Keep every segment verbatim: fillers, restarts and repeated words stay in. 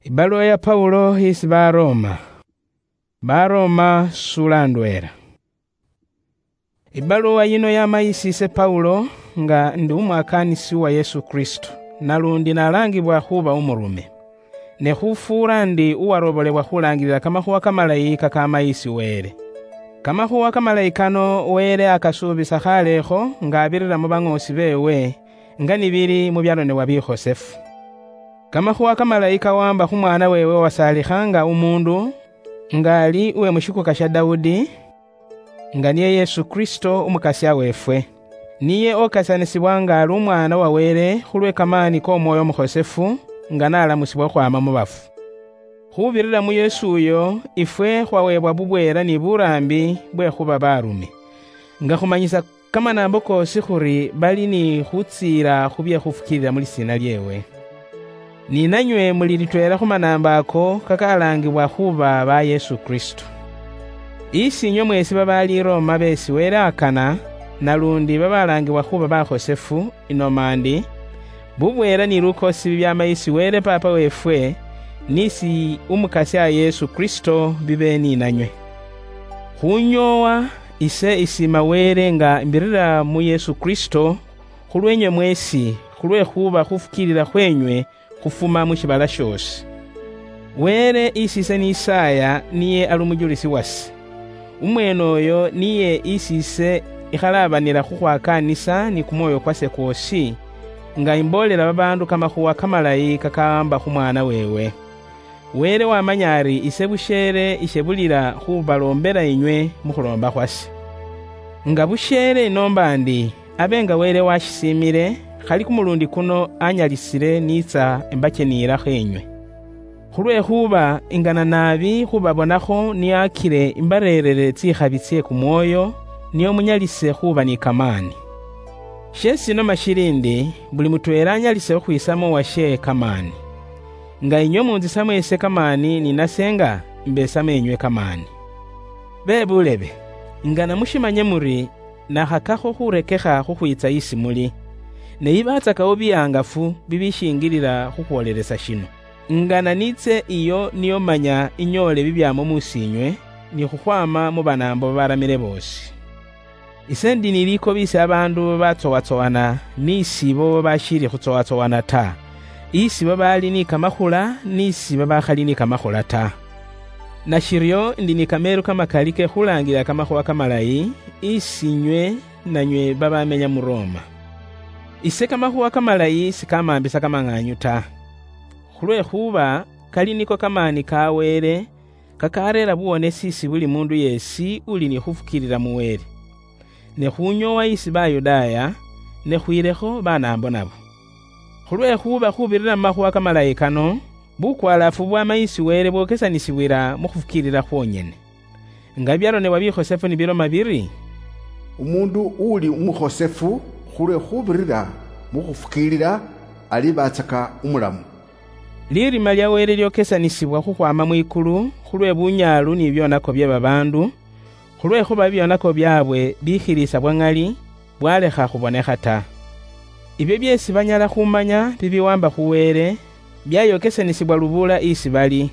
Ibaluwa ya Paulo isi Baroma. Baroma sula ndwela. Ibaluwa yino yama isi ise Paulo, nga ndi umwakaanisi wa Yesu Kristo, nalundi nalangibwa khuba umurume. Ne khufuura ndi uwarobolebwa khulangilila kamakhuwa kamalayi kakama isi Wele. Kamakhuwa kamalayi kano Wele akasuubisa khalekho nga abirira mu baŋoosi beewe, nga nibili mu byaronebwa bikhosefu. Kamakhuwa kamalayi kawamba khu Mwana weewe uwasaalikha nga umuundu, nga ali uwe mu shikuka sha Daudi, nga niye Yesu Kristo Umukasya weefwe. Niye okasanisibwa nga ali Umwaana wa Wele khulwe kamaani k'Omwoyo Umukhosefu, nga n'alamusibwa khukhwaama mu bafu. Khubirira mu Yesu uyo, ifwe khwaweebwa bubweela ni buraambi bwe khuba baarume, nga khumanyisa kamanaambo koosi khuri bali ni khutsiila khu bye khufukiilila mu lisiina lyeewe. Ni nanywe muli litweela khu manaambo ako kakalaangibwa khuba ba Yesu Kristo. Isi inywe mweesi babaali i Roma beesi Wele akana, nalundi babalaangibwa khuba bakhosefu, inoma ndi, bubweela ni lukoosi bibyaama isi Wele Paapa weefwe, n'isi Umukasya Yesu Kristo bibe ni nanywe. Khunyoowa, ise isiima Wele nga mbirira mu Yesu Kristo, khulweenywe mweesi, khulwekhuba khufukiilila khweenywe khufuma mu shiibala shoosi. Wele isi ise nisaaya niye ali umujulisi wase. Umweene uyo niye isi ise ikhalabanila khukhwakaanisa ni kumwoyo kwase kwoosi, nga imboolela babaandu kamakhuwa kamalayi kakawamba khu Mwaana weewe. Wele wamanya ari ise busheele ishebulila khubaloombela inywe mu khuloomba khwase. Nga busheele inoomba ndi, abe nga Wele washisiimile, khali kumulundi kuno anyalisile niitsa embacheniilakho inywe. Khulwekhuba ingana naabi khubabonakho niakile imbareerere tsikhabi tsie kumwoyo, nio munyalise khuba ni kamaani. Sheesi inoma shili ndi, buli mutweela anyalise khukhwiisamo owashe kamaani. Nga inywe munzisamo ise kamaani, ni nase nga mbesamo enywe kamaani. Be bulebe, ingana mushimanye muri, nakhakakho khurekekha khukhwiitsa isi muli, ne yibatsakawo bihangafu bibishingilila khukhwoolelesa shino. Ingana niitse iyo nio manya inyoole bibyaamo musiinywe, ni khukhwaama mu banaambo babaramile boosi. Ise ndi ni likobi isi abaandu babatsowatsowana, n'isi ibo babashiili khutsowatsowana ta, isi babaali ni kamakhula, n'isi babakhali ni kamakhula ta. Nashiryo ndi ni kameelu kamakali ke khulaangilila kamakhuwa kamalayi, isi inywe nanywe babamenya mu Roma. Ise kamakhuwa kamalayi sikamaambisa kamang'aanyu ta, khulwekhuba kali niko kamaani ka Wele, kakareera buwonesi isi buli muundu yeesi uli ni khufukiilila mu Wele. Ne khunyoowa isi Bayudaaya, ne khwiilekho banaambo nabo. Khulwekhuba khubirira mu makhuwa kamalayi kano, bukwalaafu bwama isi Wele bwokesanisibwila mu khufukiilila khwonyene. Nga byaronebwa bikhosefu ni biloma biri, "Umuundu uli umukhosefu khulwe khubirira mu khufukiilila alibatsaka umulamu." Lirima lya Wele lyokesanisibwa khukhwaama mwikulu khulwe bunyaalu ni byonako bye babaandu, khulwekhuba bibyonako byaabwe bikhiliisa bwa ŋali, bwalekha khubonekha ta. Ibyo byeesi banyala khumanya bibiwamba khu Wele, byayokesanisibwa lubuula isi bali,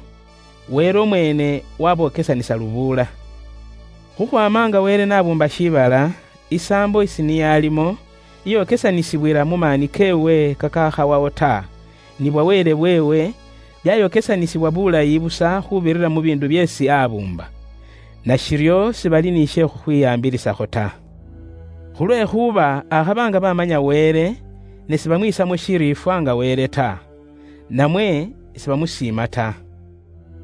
Wele umweene wabokesanisa lubuula. Khukhwaama nga Wele nabuumba shiibala, isaambo isi niye alimo, iyokesanisibwila mu maani keewe kakakhawawo ta, ni bwa Wele bweewe, byayokesanisibwa bulayi busa khubirira mu biindu byeesi abuumba. Nashiryo sibali ni she khukhwiyaambilisakho ta. Khulwekhuba akhaba nga bamanya Wele, ne sibamwiisamo shiriifwa nga Wele ta, namwe sibamusiima ta.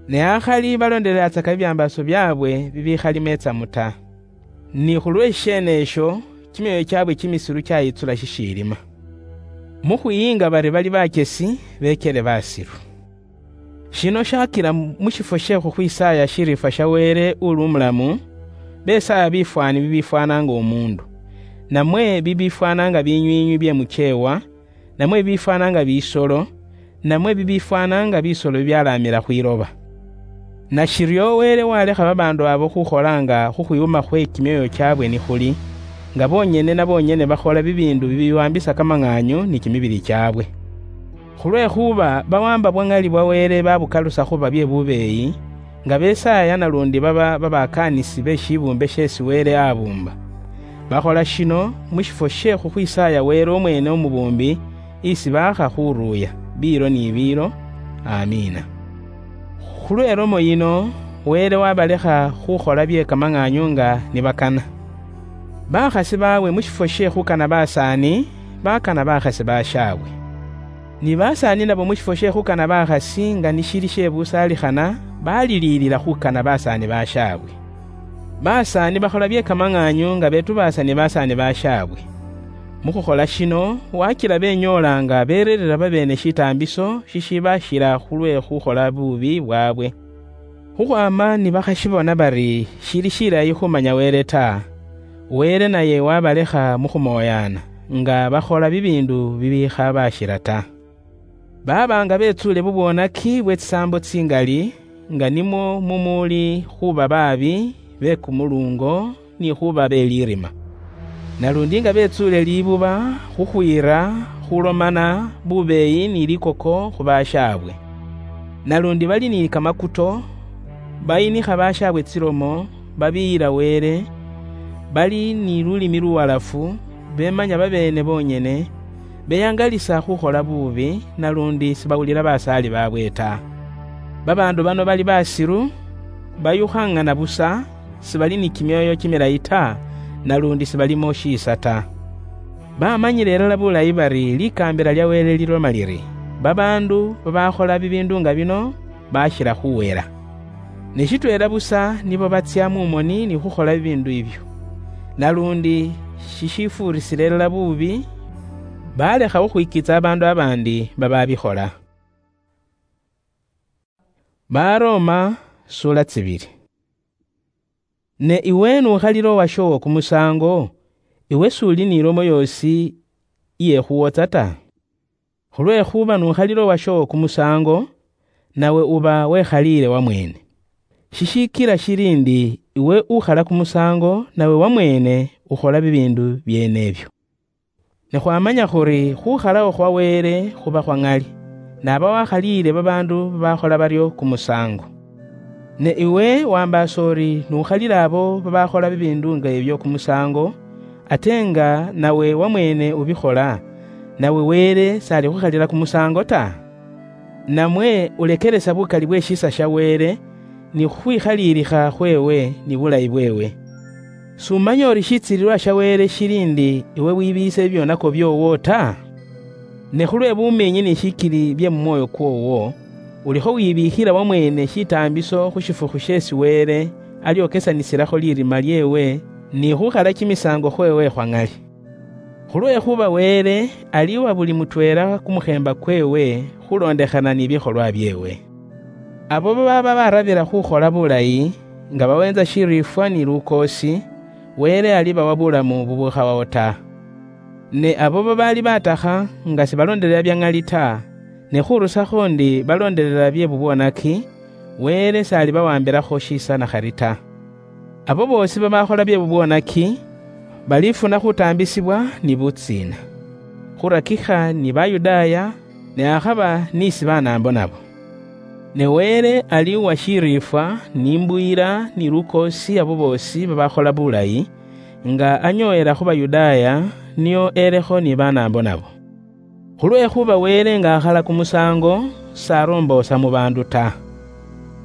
Ne akhali balondeleatsaka bibyambaaso byaabwe bibikhali meetsamu ta. Ni khulw'eshiene esho, kimyoyo kyaabwe kimisilu kyayitsula shishiilima. Mu khwiyiinga bari bali bachesi, beekele basilu. Shino shakila mu shifwo she khukhwisaaya shiriifwa sha Wele uli umulamu, besaaya bifwaani bibifwaana nga omuundu, namwe bibifwaana nga binywiinywi bye mucheewa, namwe bibifwaana nga bisolo, namwe bibifwaana nga bisolo bibyalaamila khwiloba. Nashiryo Wele walekha babaandu abo khukholanga khukhwiwuma khwe kimyoyo kyaabwe nikhuli, nga bonyene na bonyene bakhola bibiindu bibiwambisa kamang'aanyu ni kimibili kyaabwe. Khulwekhuba bawamba bwa ng'ali bwa Wele babukalusa khuba bye bubeeyi, nga besaaya nalundi baba babakaanisi be shibumbe sheesi Wele abuumba. Bakhola shino mu shifwo she khukhwisaaya Wele omweene Omubuumbi, isi baakha khuruuya biilo ni biilo. Amiina. Khulwe lomo yino, Wele wabalekha khukhola bye kamang'aanyo nga nibakana. Bakhasi baawe mu shifwo she khukana basaani, bakana bakhasi bashaabwe. Ni basaani nabo mu shifwo she khukana bakhasi nga nishili she busaalikhana, baliliilila khukana basaani bashaabwe. Basaani bakhola bye kamang'aanyo nga betubaasa ni basaani bashaabwe. Mu khukhola shino, wakila benyoola nga bereerera babeene shitaambiso shishibashila khulwe khukhola bubi bwaabwe. Khukhwaama nibakhashibona bari shili shilayi khumanya Wele ta, Wele naye wabalekha mu khumoyaana, nga bakhola bibiindu bibikhabashila ta. Baba nga betsuule bubwonaki bwe tsisaambo tsingali, nga nimwo mumuuli khuba baabi be kumuluungo, ni khuba be lirima. Nalundi nga betsuule libuba khukhwiira khulomana bubeeyi ni likoko khu bashaabwe. Nalundi bali ni kamakuto, bayinikha bashaabwe tsilomo, babiyila Wele, bali ni lulimi luwalafu, bemanya babeene bonyene, beyangalisa khukhola bubi, nalundi sibawulila basaali baabwe ta. Babaandu bano bali basilu, bayukhangana busa, sibali ni kimyoyo kimilayi ta, nalundi sibalimo shiisa ta. Bamanyile ilala bulayi bari likaambila lya Wele liloma liri, babaandu babakhola bibiindu nga bino bashila khuwela. Ne shitweela busa nibo batsya mu moni ni khukhola bibiindu ibyo. Nalundi shishifuurisile ilala buubi, balekha khukhwikiitsa abaandu abaandi bababikhola. Baroma, sura tsibili. Ne iwe nukhalila owashoowo kumusaango, iwe s'uli ni lomo yoosi iyekhuwotsa ta? Khulwekhuba nukhalila owashoowo kumusaango, nawe uba wekhaliile wamweene. Shishikila shili ndi iwe ukhala kumusaango, nawe wamweene ukhola bibiindu byeene ebyo. Ne khwamanya khuri khukhalawo khwa Wele khuba khwa ŋali, n'aba wakhaliile babaandu babakhola baryo kumusaango. Ne iwe wambaasa uri n'ukhalila abo babakhola bibiindu nga ebyo kumusaango, ate nga nawe wamweene ubikhola, nawe Wele s'alikhukhalila kumusaango ta? Namwe ulekelesa bukali bwe shiisa sha Wele, ni khukhwikhaliilikha khweewe ni bulayi bweewe. S'umanya uri shitsiililwa sha Wele shili ndi iwe wibiise bibyonako byoowo ta? Ne khulwe bumiinyi ni shikili bye mu mwoyo kwoowo, ulikho wibiikhila wamweene shitaambiso khu shifukhu sheesi Wele alyokesanisilaho lirima lyeewe ni khukhala kimisaango khweewe khwa ŋali. Khulwekhuba Wele ali uwa buli mutweela kumukheemba kweewe khuloondekhana ni bikholwa byeewe. Abo babaaba barabila khukhola bulayi, nga baweentsa shiriifwa ni lukoosi, Wele alibawa bulamu bubukhawawo ta. Ne abo babaali batakha nga sibaloondelela bya ŋali ta, ne khurusakho ndi baloondelela bye bubwonaki, Wele s'alibawambilakho shiisa nakhali ta. Abo boosi babakhola bye bubwonaki, balifuna khutaambisibwa ni butsiina, khurakikha ni Bayudaaya, ne akhaba ni si Banaambo nabo. Ne Wele ali uwa shiriifwa, ni imbuyila, ni lukoosi abo boosi babakhola bulayi, nga anyooyela khu Bayudaaya, nio elekho ni Banaambo nabo. Khulwekhuba Wele nga akhala kumusaango, s'aroomboosa mu baandu ta.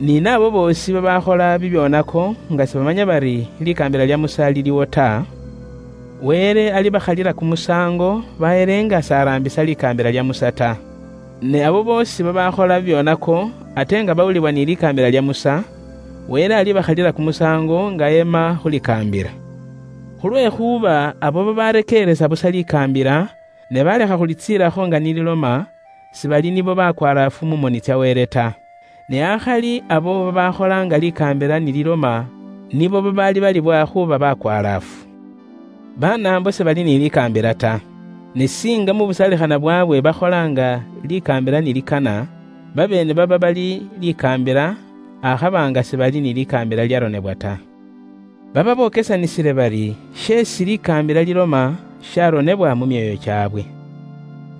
Ni n'abo boosi babakhola bibyonako nga sibamanya bari likaambila lya Musa liliwo ta, Wele alibakhalila kumusaango, baheele nga s'araambisa likaambila lya Musa ta. Ne abo boosi babakhola bibyonako, ate nga bawulibwa ni likaambila lya Musa, Wele alibakhalila kumusaango nga yeema khu likaambila. Khulwekhuba abo babarekeeresa busa likaambila, ne balekha khulitsiilakho nga nililoma, sibali nibo bakwalaafu mu moni tsya Wele ta. Ne akhali abo babakholanga likaambila nililoma, nibo babaali balibwa khuba bakwalaafu. Banaambo sibali ni likaambila ta. Ne singa mu busalikhana bwaabwe bakholanga likaambila nilikana, babeene baba bali likaambila, akhaba nga sibali ni likaambila lyaronebwa ta. Baba bokesanisile bari, sheesi likaambila liloma sharonebwa mu myoyo kyaabwe.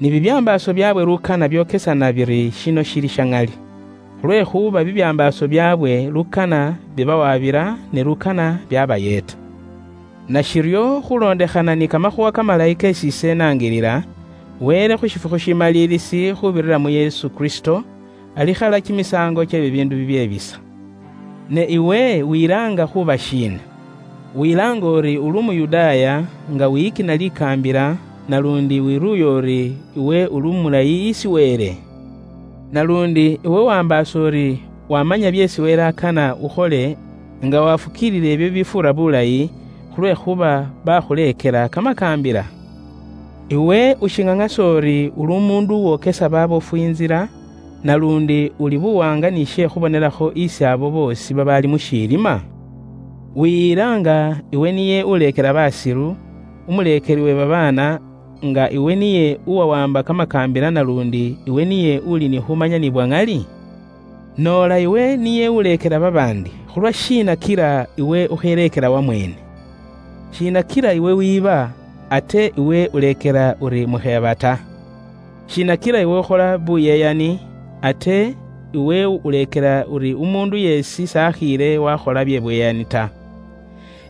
Ni bibyambaaso byaabwe lukana byokesana biri shino shili sha ŋali, khulwekhuba bibyambaaso byaabwe lukana bibawaabira, ne lukana byabayeeta. Nashiryo, khulondekhana ni kamakhuwa kamalayi kesi ise nangilila, Wele khu shifukhu shimaliilisi khubirira mu Yesu Kristo, alikhala kimisaango kye bibiindu bibye bisa. Ne iwe wilaanga khuba shiina? Wilaanga uri uli Umuyudaaya, nga wiyikina likaambila, nalundi wiruuya uri iwe uli umulayi isi Wele? Nalundi iwe wambaasa uri wamanya byeesi Wele akana ukhole, nga wafukiilila ebyo bibifuura bulayi, khulwekhuba bakhuleekela kamakaambila? Iwe ushing'ang'asa uri uli umuundu uwokesa babofu inzila, nalundi uli buwaanga ni she khubonelakho isi abo boosi babaali mu shiilima? Wiyilaanga iwe niye uleekela basilu, umuleekeli we babaana, nga iwe niye uwawamba kamakaambila, nalundi iwe niye uli ni khumanya ni bwa ŋali? Noola iwe niye uleekela babaandi, khulwa shiina kila iwe ukheleekela wamweene? Shiina kila iwe wiiba, ate iwe uleekela uri mukheeba ta? Shiina kila iwe ukhola buyeyani, ate iwe uleekela uri umuundu yeesi sakhiile wakhola bye buyeyani ta?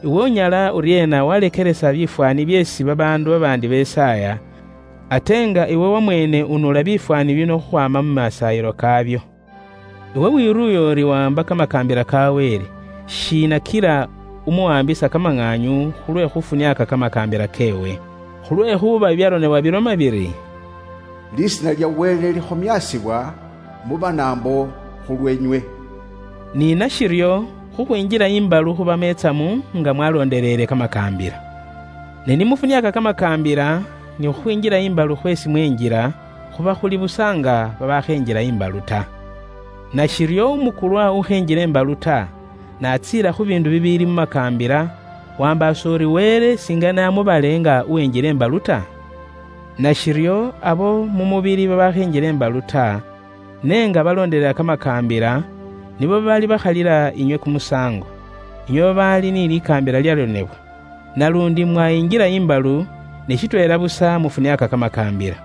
Iwe unyala uryeena walekelesa bifwaani byeesi babaandu babaandi besaaya, ate nga iwe wamweene unuula bifwaani bino khukhwaama mu masaayilo kaabyo? Iwe wiruuya uri wamba kamakaambila ka Wele, shiina kila umuwambisa kamang'aanyu khulwe khufuniaka kamakaambila keewe? Khulwekhuba bibyaronebwa biloma biri, "Lisiina lya Wele likhomiasibwa mu banaambo khulwenywe." Ni nashiryo, khukhwinjila imbalu khuba meetsamu nga mwalondeleele kamakaambila. Ne nimufuniaka kamakaambila, ni khukhwinjila imbalu khwesi mwenjila, khuba khuli busa nga babakhenjila imbalu ta. Nashiryo umukulwa ukhenjila imbalu ta, natsiila khu biindu bibiili mu makaambila, wambaasa uri Wele singana amubale nga uwenjila imbalu ta? Nashiryo abo mu mubili babakhenjila imbalu ta, ne nga balondelela kamakaambila, nibo bali bakhalila inywe kumusaango, inywe babaali ni likaambila lyalonebwa. Nalundi mwayinjila imbalu, ne shitweela busa mufuniaka kamakaambila.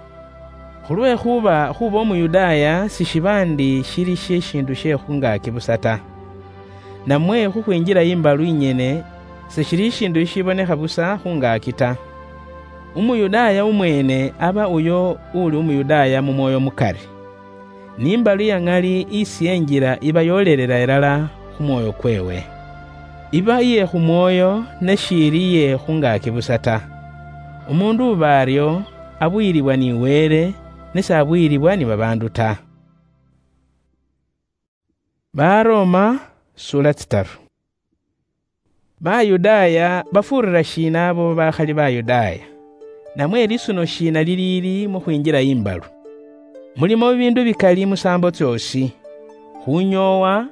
Khulwekhuba khuba Umuyudaaya sishiba ndi shili shishiindu she khungaaki busa ta. Namwe khukhwinjila imbalu inyene, seshili shishiindu shishibonekha busa khungaaki ta. Umuyudaaya umweene aba uyo uli Umuyudaaya mu mwoyo mukari. Ni imbalu ya ŋali isi enjila iba yoolelela ilala khu mwoyo kweewe. Iba iye khu mwoyo, ne shiili iye khungaaki busa ta. Umuundu uba aryo, abuyilibwa ni Wele, ne s'abuyilibwa ni babaandu ta. Baroma, sura tsitaru. Bayudaaya bafuurira shiina abo bakhali Bayudaaya? Namwe lisuno shiina liliili mukhwinjila imbalu? Mulimo bibiindu bikali musaambo tsyoosi. Khunyoowa,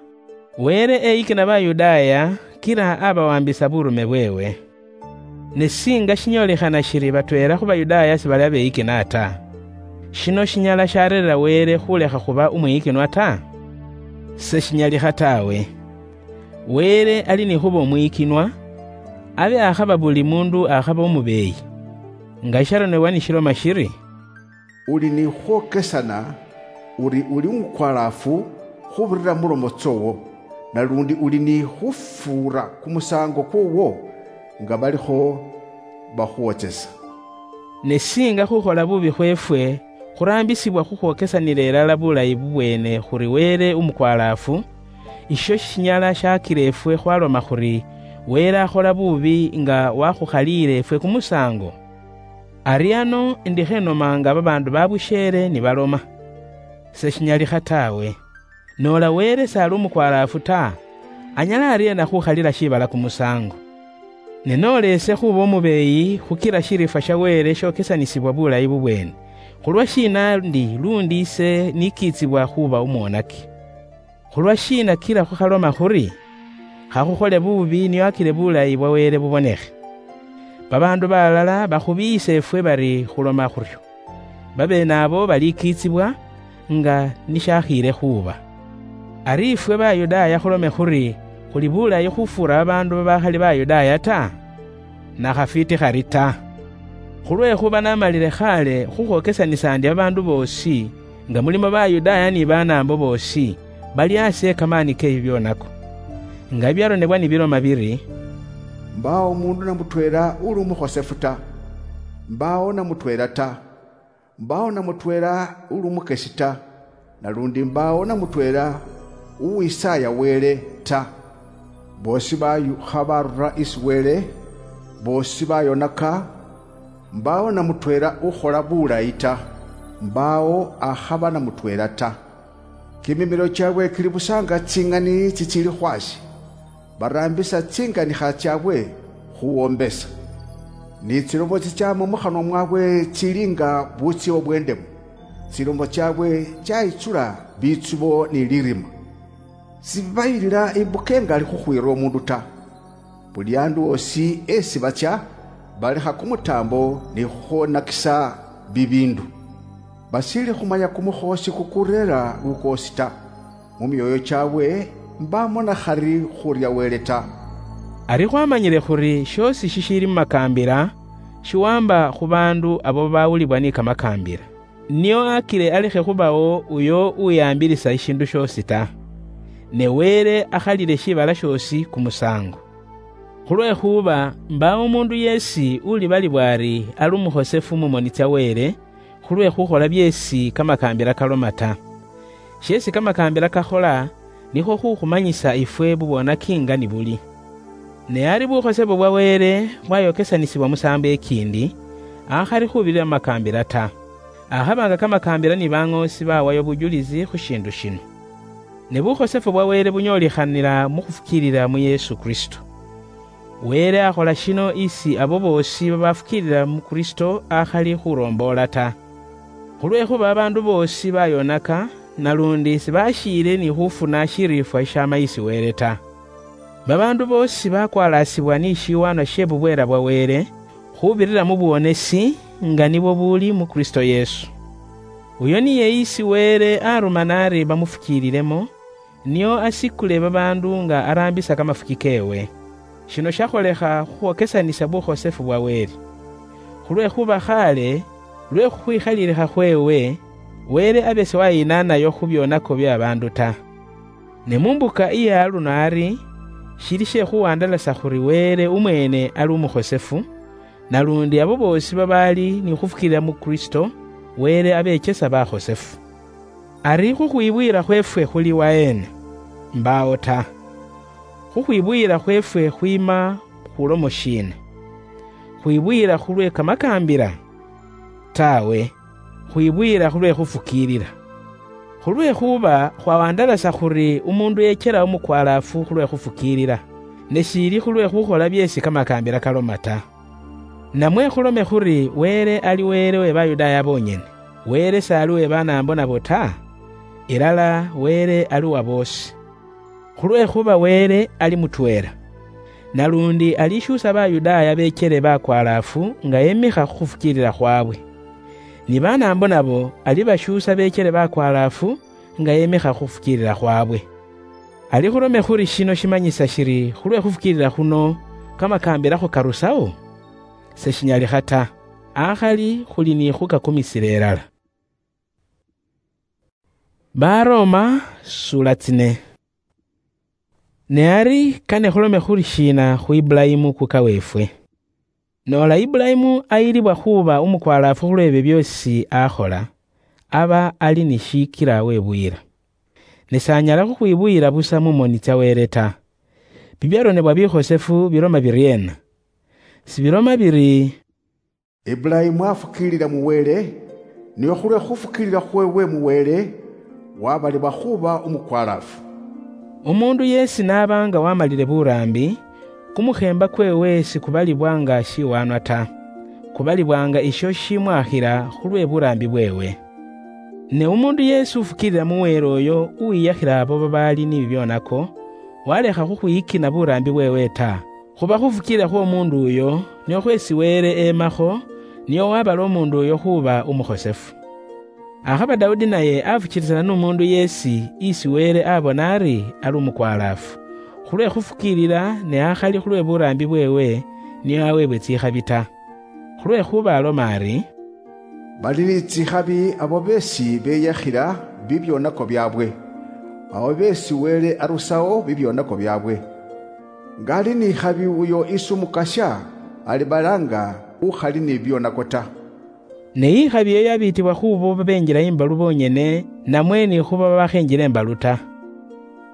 Wele eyikina Bayudaaya, kila abawambisa burume bweewe. Ne singa shinyolekhana shiri batweela khu Bayudaaya sibali abeyikina ta, shino shinyala sharerera Wele khulekha khuba umwiyikinwa ta? Seshinyalikha tawe. Wele ali ni khuba umwiyikinwa, abe akhaba buli muundu akhaba umubeeyi. Nga isharonebwa nishiloma shiri, "Uli ni khwokesana uri uli umukwalaafu khubirira mu lomo tsoowo, nalundi uli ni khufuura kumusaango kwoowo nga balikho bakhuwotsesa." Ne singa khukhola bubi khweefwe khuraambisibwa khukhwokesanila ilala bulayi bubweene khuri Wele umukwalaafu, isho shishinyala shakila ifwe khwaloma khuri Wele akhola bubi nga wakhukhaliile ifwe kumusaango? Ari ano ndikhenomanga babaandu babusheele nibaloma. Seshinyalikha tawe. Noola Wele s'ali umukwalaafu ta, anyala aryeena khukhalila shiibala kumusaango? Ne noola ise khuba umubeeyi khukila shiriifwa sha Wele shookesanisibwa bulayi bubweene, khulwa shiina ndi luundi ise nikiitsibwa khuba umwonaki? Khulwa shiina kila khukhaloma khuri, "Khakhukhole bubi nio akile bulayi bwa Wele bubonekhe"? Babaandu balala bakhubiyisa ifwe bari khuloma khuryo. Babeene abo balikiitsibwa, nga nishakhiile khuuba. Ari ifwe Bayudaaya khulome khuri khuli bulayi khufuura babaandu babakhali Bayudaaya ta? Nakhafwiiti khari ta! Khulwekhuba namalile khale khukhwokesanisa ndi babaandu boosi, nga mulimo Bayudaaya ni Banaambo boosi, bali asi ekamani ke bibyonako. Nga bibyaronebwa nibiloma biri, "Mbaawo omuundu namutweela uli umukhosefu ta, mbaawo namutweela ta, mbaawo namutweela uli umukesi ta, nalundi mbaawo namutweela uwisaaya Wele ta. Boosi bayukha barura isi Wele, boosi bayonaka, mbaawo namutweela ukhola bulayi ta, mbaawo akhaba namutweela ta. Kimimilo kyabwe kili busa nga tsing'ani tsitsili khwasi, baraambisa tsinganikha tsyaabwe khuwombesa. Ni tsilomo tsitsya mu mukhanwa mwaabwe tsili nga butsye obw'endemu. Tsilomo tsyaabwe tsyayitsula bitsubo ni lirima. Sibayilila imbuka ingali khukhwiira omundu ta. Buli andu osi esi batsya, balekha kumutaambo ni khukhwonakisa bibiindu. Basiili khumanya kumukhoosi kukureera lukoosi ta. Mu myooyo kyaabwe mbaamona khari khurya Wele ta." Ari khwamanyile khuri shiosi shishiili mu makaambila shiwamba khu baandu abo babawulibwa ni kamakaambila. Nio akile alekhe khubawo uyo uwiyambilisa ishindu shiosi ta. Ne Wele akhalile shibala shiosi kumusango. Khulwekhuba mbaawo omundu yeesi ulibalibwa ari ali umukhosefu mu moni tsya Wele, khulwe khukhola byeesi kamakaambila kaloma ta. Sheesi kamakaambila kakhola, nikhwo khukhumanyisa ifwe bubwonaki nga ni buli. Ne ari bukhosefu bwa Wele bwayokesanisibwa musaambo ekiindi, akhali khubirira mu makaambila ta. Akhaba nga kamakaambila ni baŋoosi bawayo bujulisi khu shiindu shino. Ne bukhosefu bwa Wele bunyoolikhanila mu khufukiilila mu Yesu Kristo. Wele akhola shino isi abo boosi babafukiilila mu Kristo akhali khuromboola ta. Khulwekhuba babaandu boosi bayonaka, nalundi sibashiile ni khufuna shiriifwa sha mayisi Wele ta. Babaandu boosi bakwalaasibwa ni shiwaanwa she bubweela bwa Wele, khubirira mu buwonesi, nga nibwo buuli mu Kristo Yesu. Uyo niye isi Wele aruma nari bamufukiililemo, nio asikule babaandu nga araambisa kamafuki keewe. Shino shakholekha khukhwokesanisa bukhosefu bwa Wele. Khulwekhuba khaale, lwe khukhwikhalilikha khweewe, Wele abe siwayinaanayo khu byonako bya baandu ta. Ne mu mbuka iya aluno ari, shili she khuwandalasa khuri Wele umweene ali umukhosefu, nalundi abo boosi babaali ni khufukiilila mu Kristo, Wele abechesa bakhosefu. Ari khukhwibwiila khweefwe khuli waheena? Mbaawo ta. Khukhwibwiila khweefwe khwiima khu lomo shiina? Khwibwiila khulwe kamakaambila? Taawe, khwibwiila khulwe khufukiilila. Khulwekhuba khwawandalasa khuri umuundu yechela umukwalaafu khulwe khufukiilila, ne shiili khulwe khukhola byeesi kamakaambila kaloma ta. Namwe khulome khuri Wele ali Wele we Bayudaaya boonyene, Wele s'ali we Banaambo nabo ta, ilala Wele ali wa boosi. Khulwekhuba Wele ali mutweela. Nalundi alishuusa Bayudaaya beechele bakwalaafu nga yemikha khu khufukiilila khwaabwe. Ni Banaambo nabo alibashuusa beechele bakwalaafu nga yemikha khu khufukiilila khwaabwe. Ali khulome khuri shino shimanyisa shiri khulwe khufukiilila khuno kamakaambila khukarusawo? Seshinyalikha ta. Akhali khuli ni khukakumisila ilala. Baroma sura tsine. Ne ari kane khulome khuli shiina khu Ibulayimu kuka weefwe? Noola Ibulayimu ayilibwa khuuba umukwalaafu khulw'ebyo byoosi akhola, aba ali ni shiikila webuyila. Ne s'anyala khukhwibuyila busa mu moni tsya Wele ta. Bibyaronebwa bikhosefu biloma biryeena? Sibiloma biri, Ibulayimu afukiilila mu Wele, nio khulwe khufukiilila khweewe mu Wele, wabalibwa khuuba umukwalaafu. Umuundu yeesi n'aba nga wamalile buraambi, kumukheemba kweewe sikubalibwa nga shiwaanwa ta, kubalibwa nga isho shimwakhila khulwe buraambi bweewe. Ne umuundu yeesi ufukiilila mu Wele oyo uwiiyakhila abo babaali ni bibyonako, walekha khukhwiyikina buraambi bweewe ta, khuba khufukiilila khw'omuundu uyo, nio khweesi Wele eemakho, nio wabala umuundu uyo khuuba umukhosefu. Akhaba Daudi naye afukiilisana n'umuundu yeesi isi Wele abona ari ali umukwalaafu, khulwe khufukiilila ne akhali khulwe buraambi bweewe, nio aweebwe tsikhabi ta. Khulwekhuba aloma ari, "Bali ni tsikhabi abo beesi beyakhila bibyonako byabwe, abo beesi Wele arusao bibyonako byabwe. Nga ali ni khabi uyo isi Umukasya alibalaanga ukhali ni byonako ta." Ne ikhabi eyo yabiitibwa khubo babenjila imbalu bonyene, namwe ni khuba babakhenjila imbalu ta.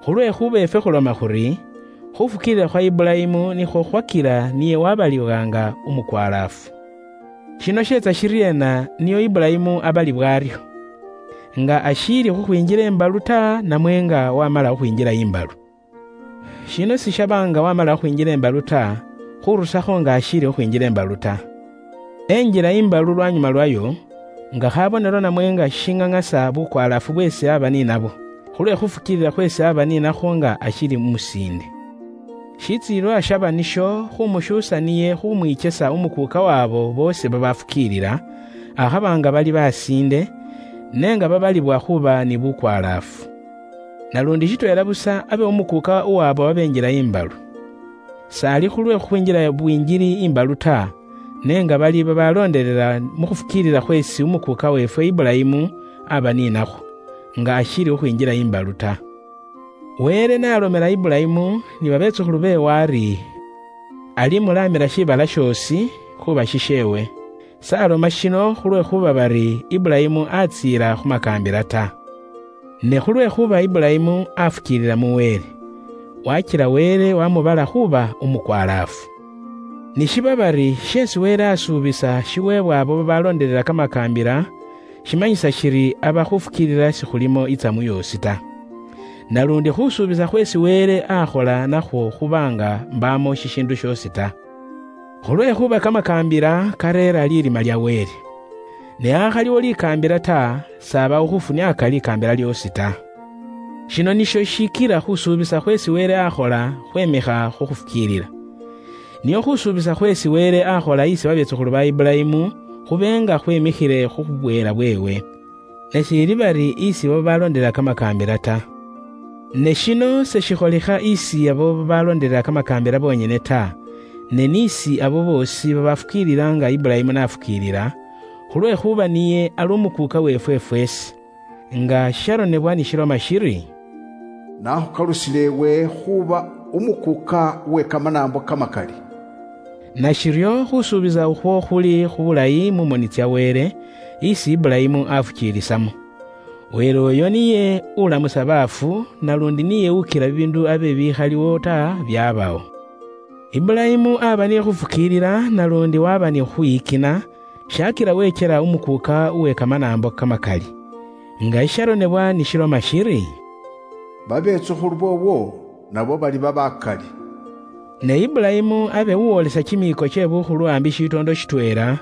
Khulwekhuba efwe khuloma khuri, khufukiilila khwa Ibulayimu nikhwo khwakila niye wabalibwanga umukwalaafu. Shino sheetsa shiryeena niyo Ibulayimu abalibwa aryo? Nga ashiili khukhwinjila imbalu ta, namwe nga wamala khukhwinjila imbalu? Shino sishaba nga wamala khukhwinjila imbalu ta, khurusakho nga ashiili khukhwinjila imbalu ta. Enjila imbalu lwanyuma lwayo, nga khabonelo namwe nga shing'ang'asa bukwalaafu bweesi aba ninabo, khulwe khufukiilila khweesi aba ninakho nga ashili umusiinde. Shitsiilwa shaba nisho khumushuusa niye khumwichesa umukuuka wabo boosi babafukiilila, akhaba nga bali basiinde, ne nga babalibwa khuba ni bukwalaafu. Nalundi shitweela busa abe umukuuka uwabo babenjila imbalu. Sali khulwe khukhwinjila bwinjili imbalu ta, ne nga bali babaloondelela mu khufukiilila khweesi umukuuka weefwe Ibulayimu aba ninakho, nga ashiili khukhwinjila imbalu ta. Wele n'alomela Ibulayimu ni babetsukhulu beewe ari, alimulaamila shiibala shoosi khuuba shisheewe. S'aloma shino khulwekhuba bari Ibulayimu atsiila khu makaambila ta. Ne khulwekhuba Ibulayimu afukiilila mu Wele, wakila Wele wamubala khuuba umukwalaafu. Ni shiba bari sheesi Wele asuubisa shiweebwa abo babaloondelela kamakaambila, shimanyisa shiri aba khufukiilila sikhulimo itsamu yoosi ta. Nalundi khusuubisa khweesi Wele akhola nakhwo khuba nga mbaamo shishiindu shoosi ta. Khulwekhuba kamakaambila kareera lirima lya Wele. Ne akhaliwo likaambila ta, sabawo khufuniaka likaambila lyoosi ta. Shino nisho shikila khusuubisa khweesi Wele akhola khwemikha khu khufukiilila. Niyo khusuubisa khweesi Wele akhola isi babetsukhulu ba Ibulayimu, khube nga khwemikhile khu bweela bweewe. Ne shiili bari isi abo babaloondelela kamakaambila ta. Ne shino seshikholikha isi abo babaloondelela kamakaambila bonyene ta, ne n'isi abo boosi babafukiilila nga Ibulayimu nafukiilila, khulwekhuba niye ali umukuuka weefwe fweesi. Nga sharonebwa ni shiloma shiri, "Nakhukalusile ewe khuuba umukuuka we kamanaambo kamakali." Nashiryo khusuubisa ukhwo khuli khubulayi mu moni tsya Wele, isi Ibulayimu afukiilisamo. Wele oyo niye ulamusa baafu, nalundi niye ukila bibiindu abe bikhaliwo ta byabawo. Ibulayimu aba ni khufukiilila, nalundi waba ni khukhwiyikina, shakila wechela umukuuka uwe kamanaambo kamakali. Nga isharonebwa ni shiloma shiri, "Babetsukhulu boowo nabo baliba bakali." Ne Ibulayimu abe uwolesa chimiiko che bukhulu ambi shitoondo shitweela,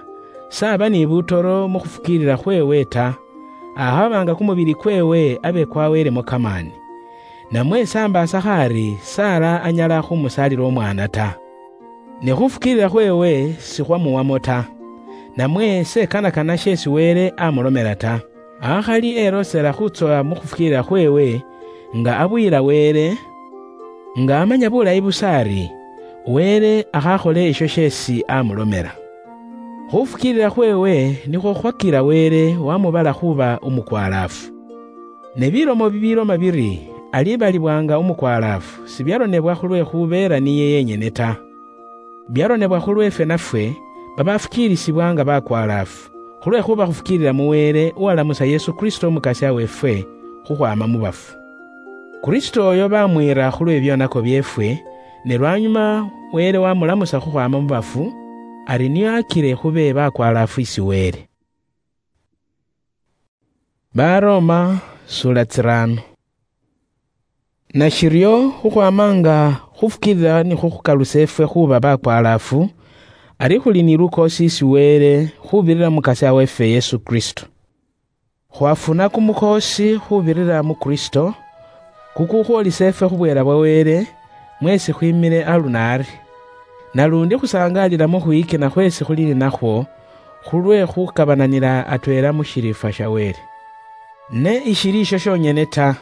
saba ni butoro mu khufukiilila khweewe ta, akhaba nga kumubili kweewe abe kwaweelemo kamaani. Namwe sambaasakho ari Sara anyala khumusaalila omwaana ta. Ne khufukiilila khweewe sikhwamuwamo ta, namwe sekanakana sheesi Wele amulomela ta. Akhali elosela khutsowa mu khufukiilila khweewe, nga abuyila Wele, nga amanya bulayi busa ari Wele akhakhole esho sheesi amulomela. Khufukiilila khweewe nikhwo khwakila Wele wamubala khuba umukwalaafu. Ne bilomo bibiloma biri alibalibwanga umukwalaafu, sibyaronebwa khulwekhubeela niye yenyene ta. Byaronebwa khulwefwe nafwe, babafukiilisibwa nga bakwalaafu, khulwekhuba khufukiilila mu Wele uwalamusa Yesu Kristo Umukasya weefwe khukhwaama mu bafu. Kristo oyo bamwiira khulwe byonako byeefwe, ne lwanyuma Wele wamulamusa khukhwaama mu bafu, ari nio akile khube bakwalaafu isi Wele. Baroma, sura tsirano. Nashiryo, khukhwama nga khufukiilila nikhwo khukalusa efwe khuuba bakwalaafu, ari khuli ni lukoosi isi Wele khubirira mu Mukasya weefwe Yesu Kristo. Khwafuna kumukoosi khubirira mu Kristo, kukukhwolisa efwe khubweela bwa Wele, mweesi khwimile aluno ari. Nalundi khusangaalila mu khwiyikina khweesi khuli ninakhwo, khulwe khukabananila atweela mu shiriifwa sha Wele. Ne ishili isho shonyene ta,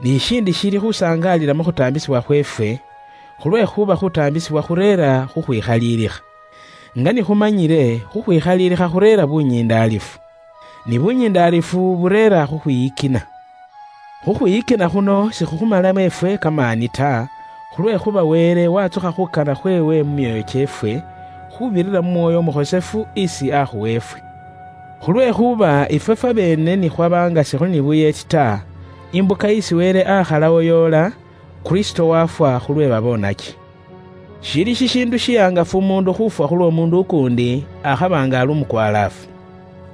ni shindi shili khusangaalila mu khutaambisibwa khweefwe, khulwekhuba khutaambisibwa khureera khukhwikhaliilikha. Nga nikhumanyire khukhwikhalilikha khureera bunyindaalifu, ni bunyindaalifu bureera khukhwiyikina. Khukhwiyikina khuno sikhukhumalamo efwe kamaani ta, khulwekhuba Wele watsukha khukana khwewe mu myoyo kyeefwe, khubirira mu Mwoyo Omukhosefu isi akhuwa efwe. Khulwekhuba ifwe fwabeene nikhwaba nga sikhuli ni buyeeti ta, imbuka isi Wele akhalawo yoola, Kristo wafwa khulwe babonaki. Shili shishindu shihangafu umundu khufwa khulwo mundu ukundi akhaba nga ali umukwalaafu.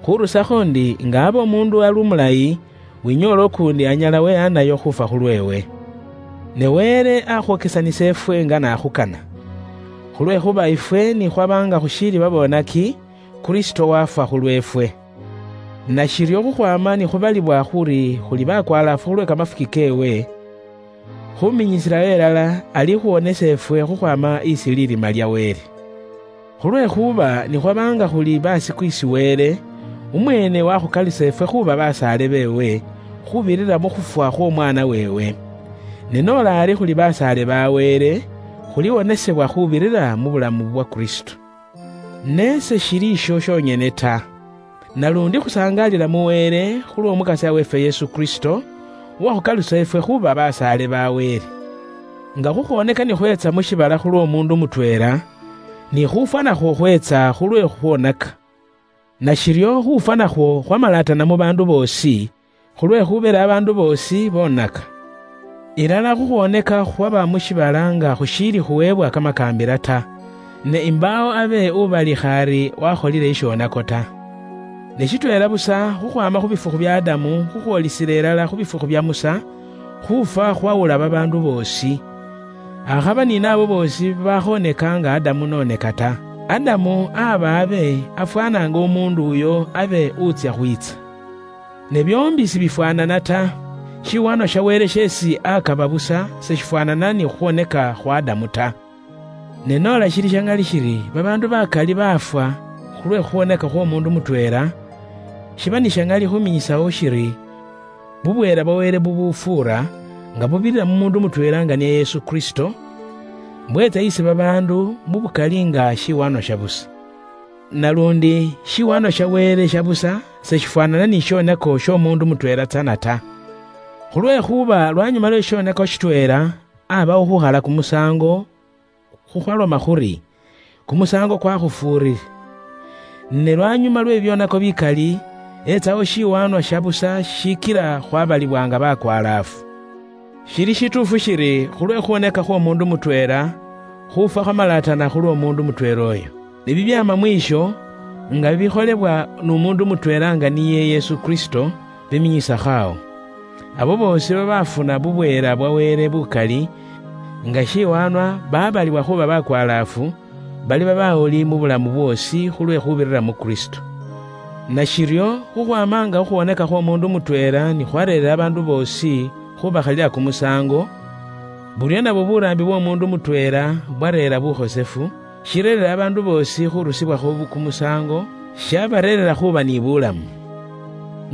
Khurusakho ndi nga aba umundu ali umulayi, winyoola ukundi anyala wehanayo khufwa khulwewe. Ne Wele akhuokesanisa efwe nga nakhukana. Khulwekhuba ifwe ni khwaba nga khushiili babonaki, Kristo wafwa khulwefwe. Nashiryo khukhwama ni khubalibwa khuri khuli bakwalaafu khulwe kamafuki kewe, khuminyisirayo elala alikhuwonesa efwe khukhwama isi lirima lya Wele. Khulwekhuba nikhwabanga khuli basiku isi Wele, umwene wakhukalusa efwe khuba basaale bewe, khubirira mukhufwa khw'omwana wewe. Ne nola ari khuli basaale ba Wele, khuliwonesebwa khubirira mu bulamu bwa Kristo. Ne seshili isho shonyene ta. Nalundi khusangalila mu Wele khulw'Omukasya weefwe Yesu Kristo, uwakhukalusa efwe khuba basaale ba Wele. Nga khukhwoneka ni khweetsa mu shibala khulw'omundu mutweela, ni khufwa nakhwo khweetsa khulwe khukhwonaka. Nashiryo khufwa nakhwo khwamalatana mu baandu boosi, khulwekhubeera abaandu boosi bonaka. Ilala khukhwoneka khwaba mu shibala nga khushiili khuweebwa kamakaambila ta, ne imbaawo abe ubalikha ari wakholile ishonako ta. Ne shitweela busa khukhwama khu bifukhu bya Adamu khukhwolisila ilala khu bifukhu bya Musa, khufwa khwawula babaandu boosi. Akhaba ni naabo boosi bakhoneka nga Adamu noneka ta. Adamu aba abe afwananga omundu uyo abe utsya khwitsa. Ne byoombi sibifwanana ta. Shiwaanwa sha Wele sheesi akaba busa seshifwanana ni khukhwoneka khwa Adamu ta. Ne noola shili sha ŋali shiri babaandu bakali baafwa khulwe khukhwoneka khw'omuundu mutweela, shiba ni sha ŋali khuminyisaho shiri bubweela bwa Wele bubufuura nga bubirira mu muundu mutweela nga niye Yesu Kristo, bweetsa isi babaandu mu bukali nga shiwaanwa sha busa. Nalundi shiwaanwa sha Wele sha busa seshifwanana ni shonako sh'omuundu mutweela tsana ta. Khulwekhuba lwanyuma lwe shonako shitweela, abawo khukhala kumusaango, khukhwaloma khuri, kumusaango kwakhufuurire. Ne lwanyuma lwe byonako bikali, etsawo shiwaanwa sha busa shikila khwabalibwanga bakwalaafu. Shili shituufu shiri khulwe khuwoneka khw'omuundu mutweela, khufwa khwamalatana khulw'omuundu mutweela oyo. Ne bibyaama mwiisho, nga bibikholebwa n'umuundu mutweela nga niye Yesu Kristo, biminyisakho awo. Abo boosi babafuna bubweela bwa Wele bukali, nga shiwaanwa babalibwa khuba bakwalaafu, baliba bawuli mu bulamu bwoosi khulwe khubirira mu Kristo. Nashiryo, khukhwama nga khukhwoneka khw'omuundu mutweela ni khwareerera abaandu boosi khubakhalila kumusaango, buryo nabwo buraambi bw'omuundu mutweela bwareera bukhosefu, shireerera abaandu boosi khurusibwakho bu- kumusaango, shabareerera khuba ni bulamu.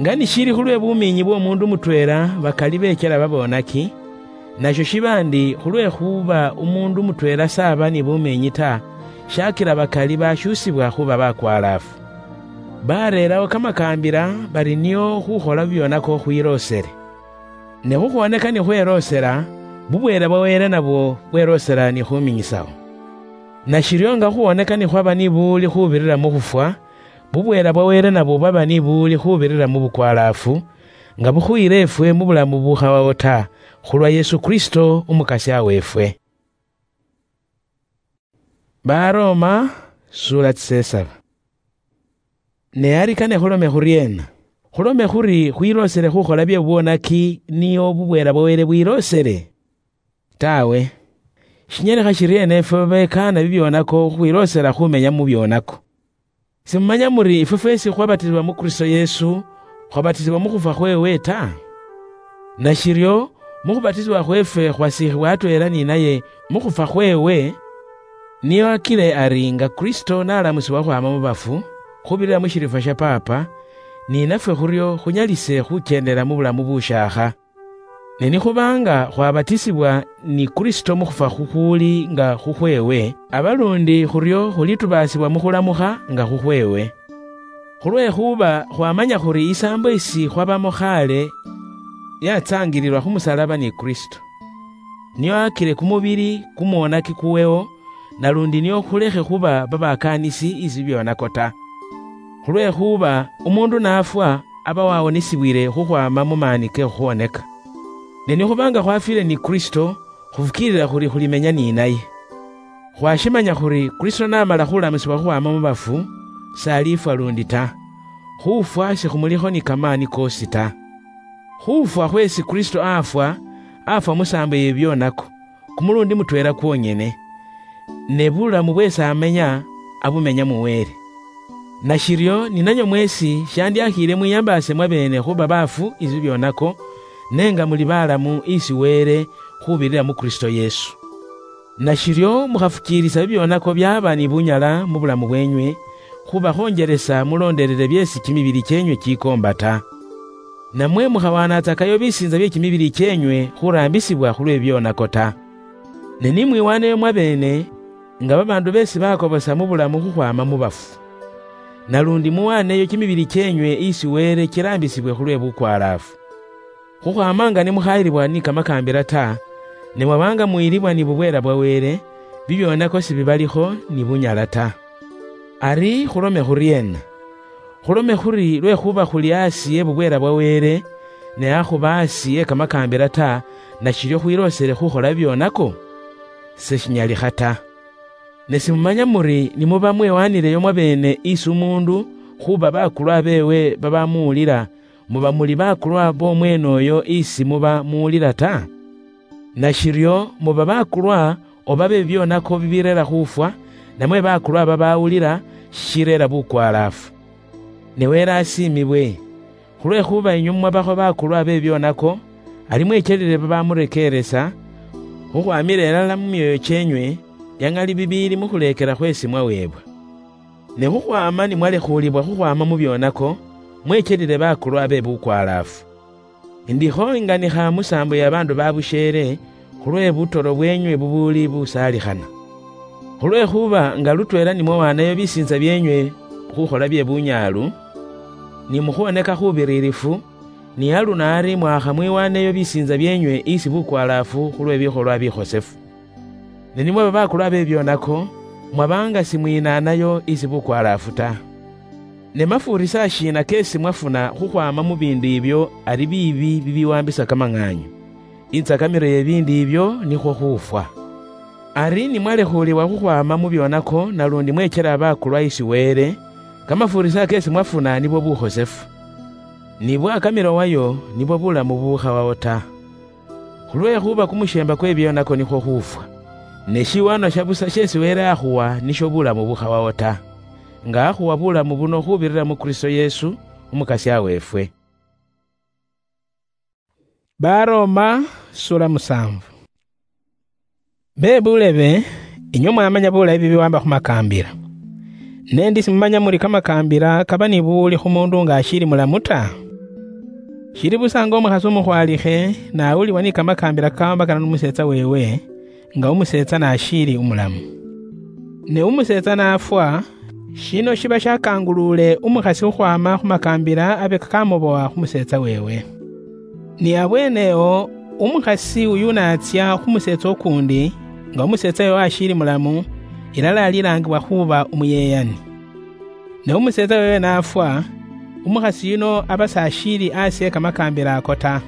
Nga nishili khulwe bumiinyi bw'omuundu mutweela bakali beechela babonaki, nasho shiba ndi khulwekhuba umuundu mutweela s'aba ni bumiinyi ta, shakila bakali bashuusibwa khuba bakwalaafu. Bareerawo kamakaambila bari nio khukhola byonako khwiloosele. Ne khukhwoneka ni khweloosela, bubweela bwa Wele nabwo bweloosela ni khuminyisawo. Nashiryo nga khukhwoneka ni khwaba ni buwuli khubirira mu khufwa, bubweela bwa Wele nabwo bwaba ni buwuli khubirira mu bukwalaafu, nga bukhuyila efwe mu bulamu bukhawawo ta, khulwa Yesu Kristo Umukasya weefwe. Baroma, sura tsisesaba. Ne ari kane khulome khuryeena? Khulome khuri khwiloosele khukhola bye bubwonaki nio bubweela bwa Wele bwiloosele? Tawe. Shinyalekha shiryeena efwe babekaana bibyonako khukhwiloosela khumenya mu byonako? Simumanya muri ifwe fwesi khwabatisibwa mu Kristo Yesu, khwabatisibwa mu khufwa khweewe ta? Nashiryo, mu khubatisibwa khweefwe khwasiikhibwa atweela ni naye mu khufwa khweewe, niyo akile ari nga Kristo n'alamusibwa khwama mu bafu, khubirira mu shirifwa sha Paapa, ni nafwe khuryo khunyalise khukyendela mu bulamu bushaakha. Ne nikhubanga khwabatisibwa ni Kristo mukhufwa khukhuli nga khukhwewe, abalundi khurio khulitubasibwa mukhulamukha nga khukhwewe. Khulwekhuba khwamanya khuri isaambo isi khwabamo khale yatsangililwa khumusalaba ni Kristo. Niyo akile kumubili kumwonaki kuweo, nalundi niyo khulekhe khuba babakanisi isi byonako ta. Khulwekhuba umundu nafwa, aba wawonisibwile khukhwama mu maani ke khukhwoneka. Ne nikhuba nga khwafwile ni Kristo, khufukiilila khuri khulimenya ni naye. Khwashimanya khuri Kristo namala khulamusibwa khukhwama mu bafu, salifwa lundi ta. Khufwa sikhumulikho ni kamaani koosi ta. Khufwa khwesi Kristo afwa, afwa musaambo ye byonako, kumulundi mutweela kwonyene. Ne bulamu bwesi amenya, abumenya mu Wele. Nashiryo, ninanywe mwesi shandyakhiile mwiyambaase mwabeene khuba baafu isi byonako, ne nga muli balamu isi Wele khubirira mu Kristo Yesu. Nashiryo, mukhafukiilisa bibyonako byaba ni bunyala mu bulamu bwenywe, khuba khonjelesa mulondelele byeesi kimibili kyenywe kikoomba ta. Namwe mukhawaanatsakayo bisiinza bye kimibili kyenywe khuraambisibwa khulwe byonako ta. Ne ni mwiwaaneyo mwabeene, nga babaandu beesi bakobosa mu bulamu khukhwaama mu bafu. Nalundi muwaaneyo kimibili kyenywe isi Wele kiraambisibwe khulwe bukwalaafu. Khukhwaama nga ni mukhayilibwa ni kamakaambila ta, ne mwaba nga muyilibwa ni bubweela bwa Wele, bibyonako sibibalikho ni bunyala ta. Ari khulome khuryeena? Khulome khuri lwekhuba khuli asi e bubweela bwa Wele, ne akhuba asi e kamakaambila ta, nashiryo khwiloosele khukhola bibyonako? Seshinyalikha ta. Ne simumanya muri nimuba mwewaanileyo mwabeene isi umuundu khuba bakulwa beewe babamuwulila, muba muli bakulwa b'omweene oyo isi muba muwulila ta? Nashiryo muba bakulwa oba be bibyonako bibireera khufwa, namwe bakulwa babawulila shishireera bukwalaafu. Ne Wele asiimibwe, khulwekhuba inywe mwabakho bakulwa be bibyonako, ali mwechelile babamurekeeresa, khukhwamila ilala mu myoyo kyenywe, ya ng'ali bibiili mu khuleekela khweesi mwaweebwa. Ne khukhwaama ni mwalekhuulibwa khukhwaama mu byonako, mwechelile bakulwa be bukwalaafu. Ndikho inganikha musaambo ya baandu ba busheele, khulwe butoro bwenywe bubuuli busaalikhana. Khulwekhuba nga lutweela ni mwawaanayo bisiinza byenywe khukhola bye bunyaalu, ni mukhuwoneka khubiriirifu, ni aluno ari mwakha mwiwaneyo bisiinza byenywe isi bukwalaafu khulwe bikholwa bikhosefu. Ne nimwaba bakulwa be byonako, mwaba nga simwinaanayo isi bukwalaafu ta. Ne mafuurisa shiina keesi mwafuna khukhwaama mu biindu ibyo ari biibi bibiwaambisa kamang'aanyu? Insakamiro ye biindu ibyo nikhwo khufwa. Ari ni mwalekhuulibwa khukhwaama mu byonako nalundi mwechela bakulwa isi Wele, kamafuurisa keesi mwafuna nibwo bukhosefu. Ni bwakamilo wayo nibwo bulamu bubukhawawo ta. Khulwekhuba kumusheemba kwe byonako nikhwo khufwa. Ne shiwaano sha busa sheesi Wele akhuwa nisho bulamu bukhawawo ta, nga akhuwa bulamu buno khubirira mu Kristo Yesu, Umukasya weefwe. Baroma, sura musanvu. Be bulebe, inywe mwamanya bulayi bibiwamba khu makambila. Nendi simumanya muri kamakaambila kaba ni buwuli khu mundu nga ashiili mulamu ta? Shili busa nga umukhasi umukhwalikhe nawulibwa ni kamakaambila kakaambakana n'umuseetsa weewe, nga umuseetsa n'ashiili umulamu. Ne umuseetsa n'afwa, shino shiba shakanguluule umukhasi khukhwaama khu makaambila abe kakamubowa khu museetsa weewe. Ni abweene-o, umukhasi uyu n'atsya khu museetsa ukuundi, nga umuseetsa weewe ashiili mulamu, ilala alilaangibwa khuuba umuyeyani. Ne umuseetsa weewe n'afwa, umukhasi yuno aba s'ashiili asi e kamakaambila ako ta.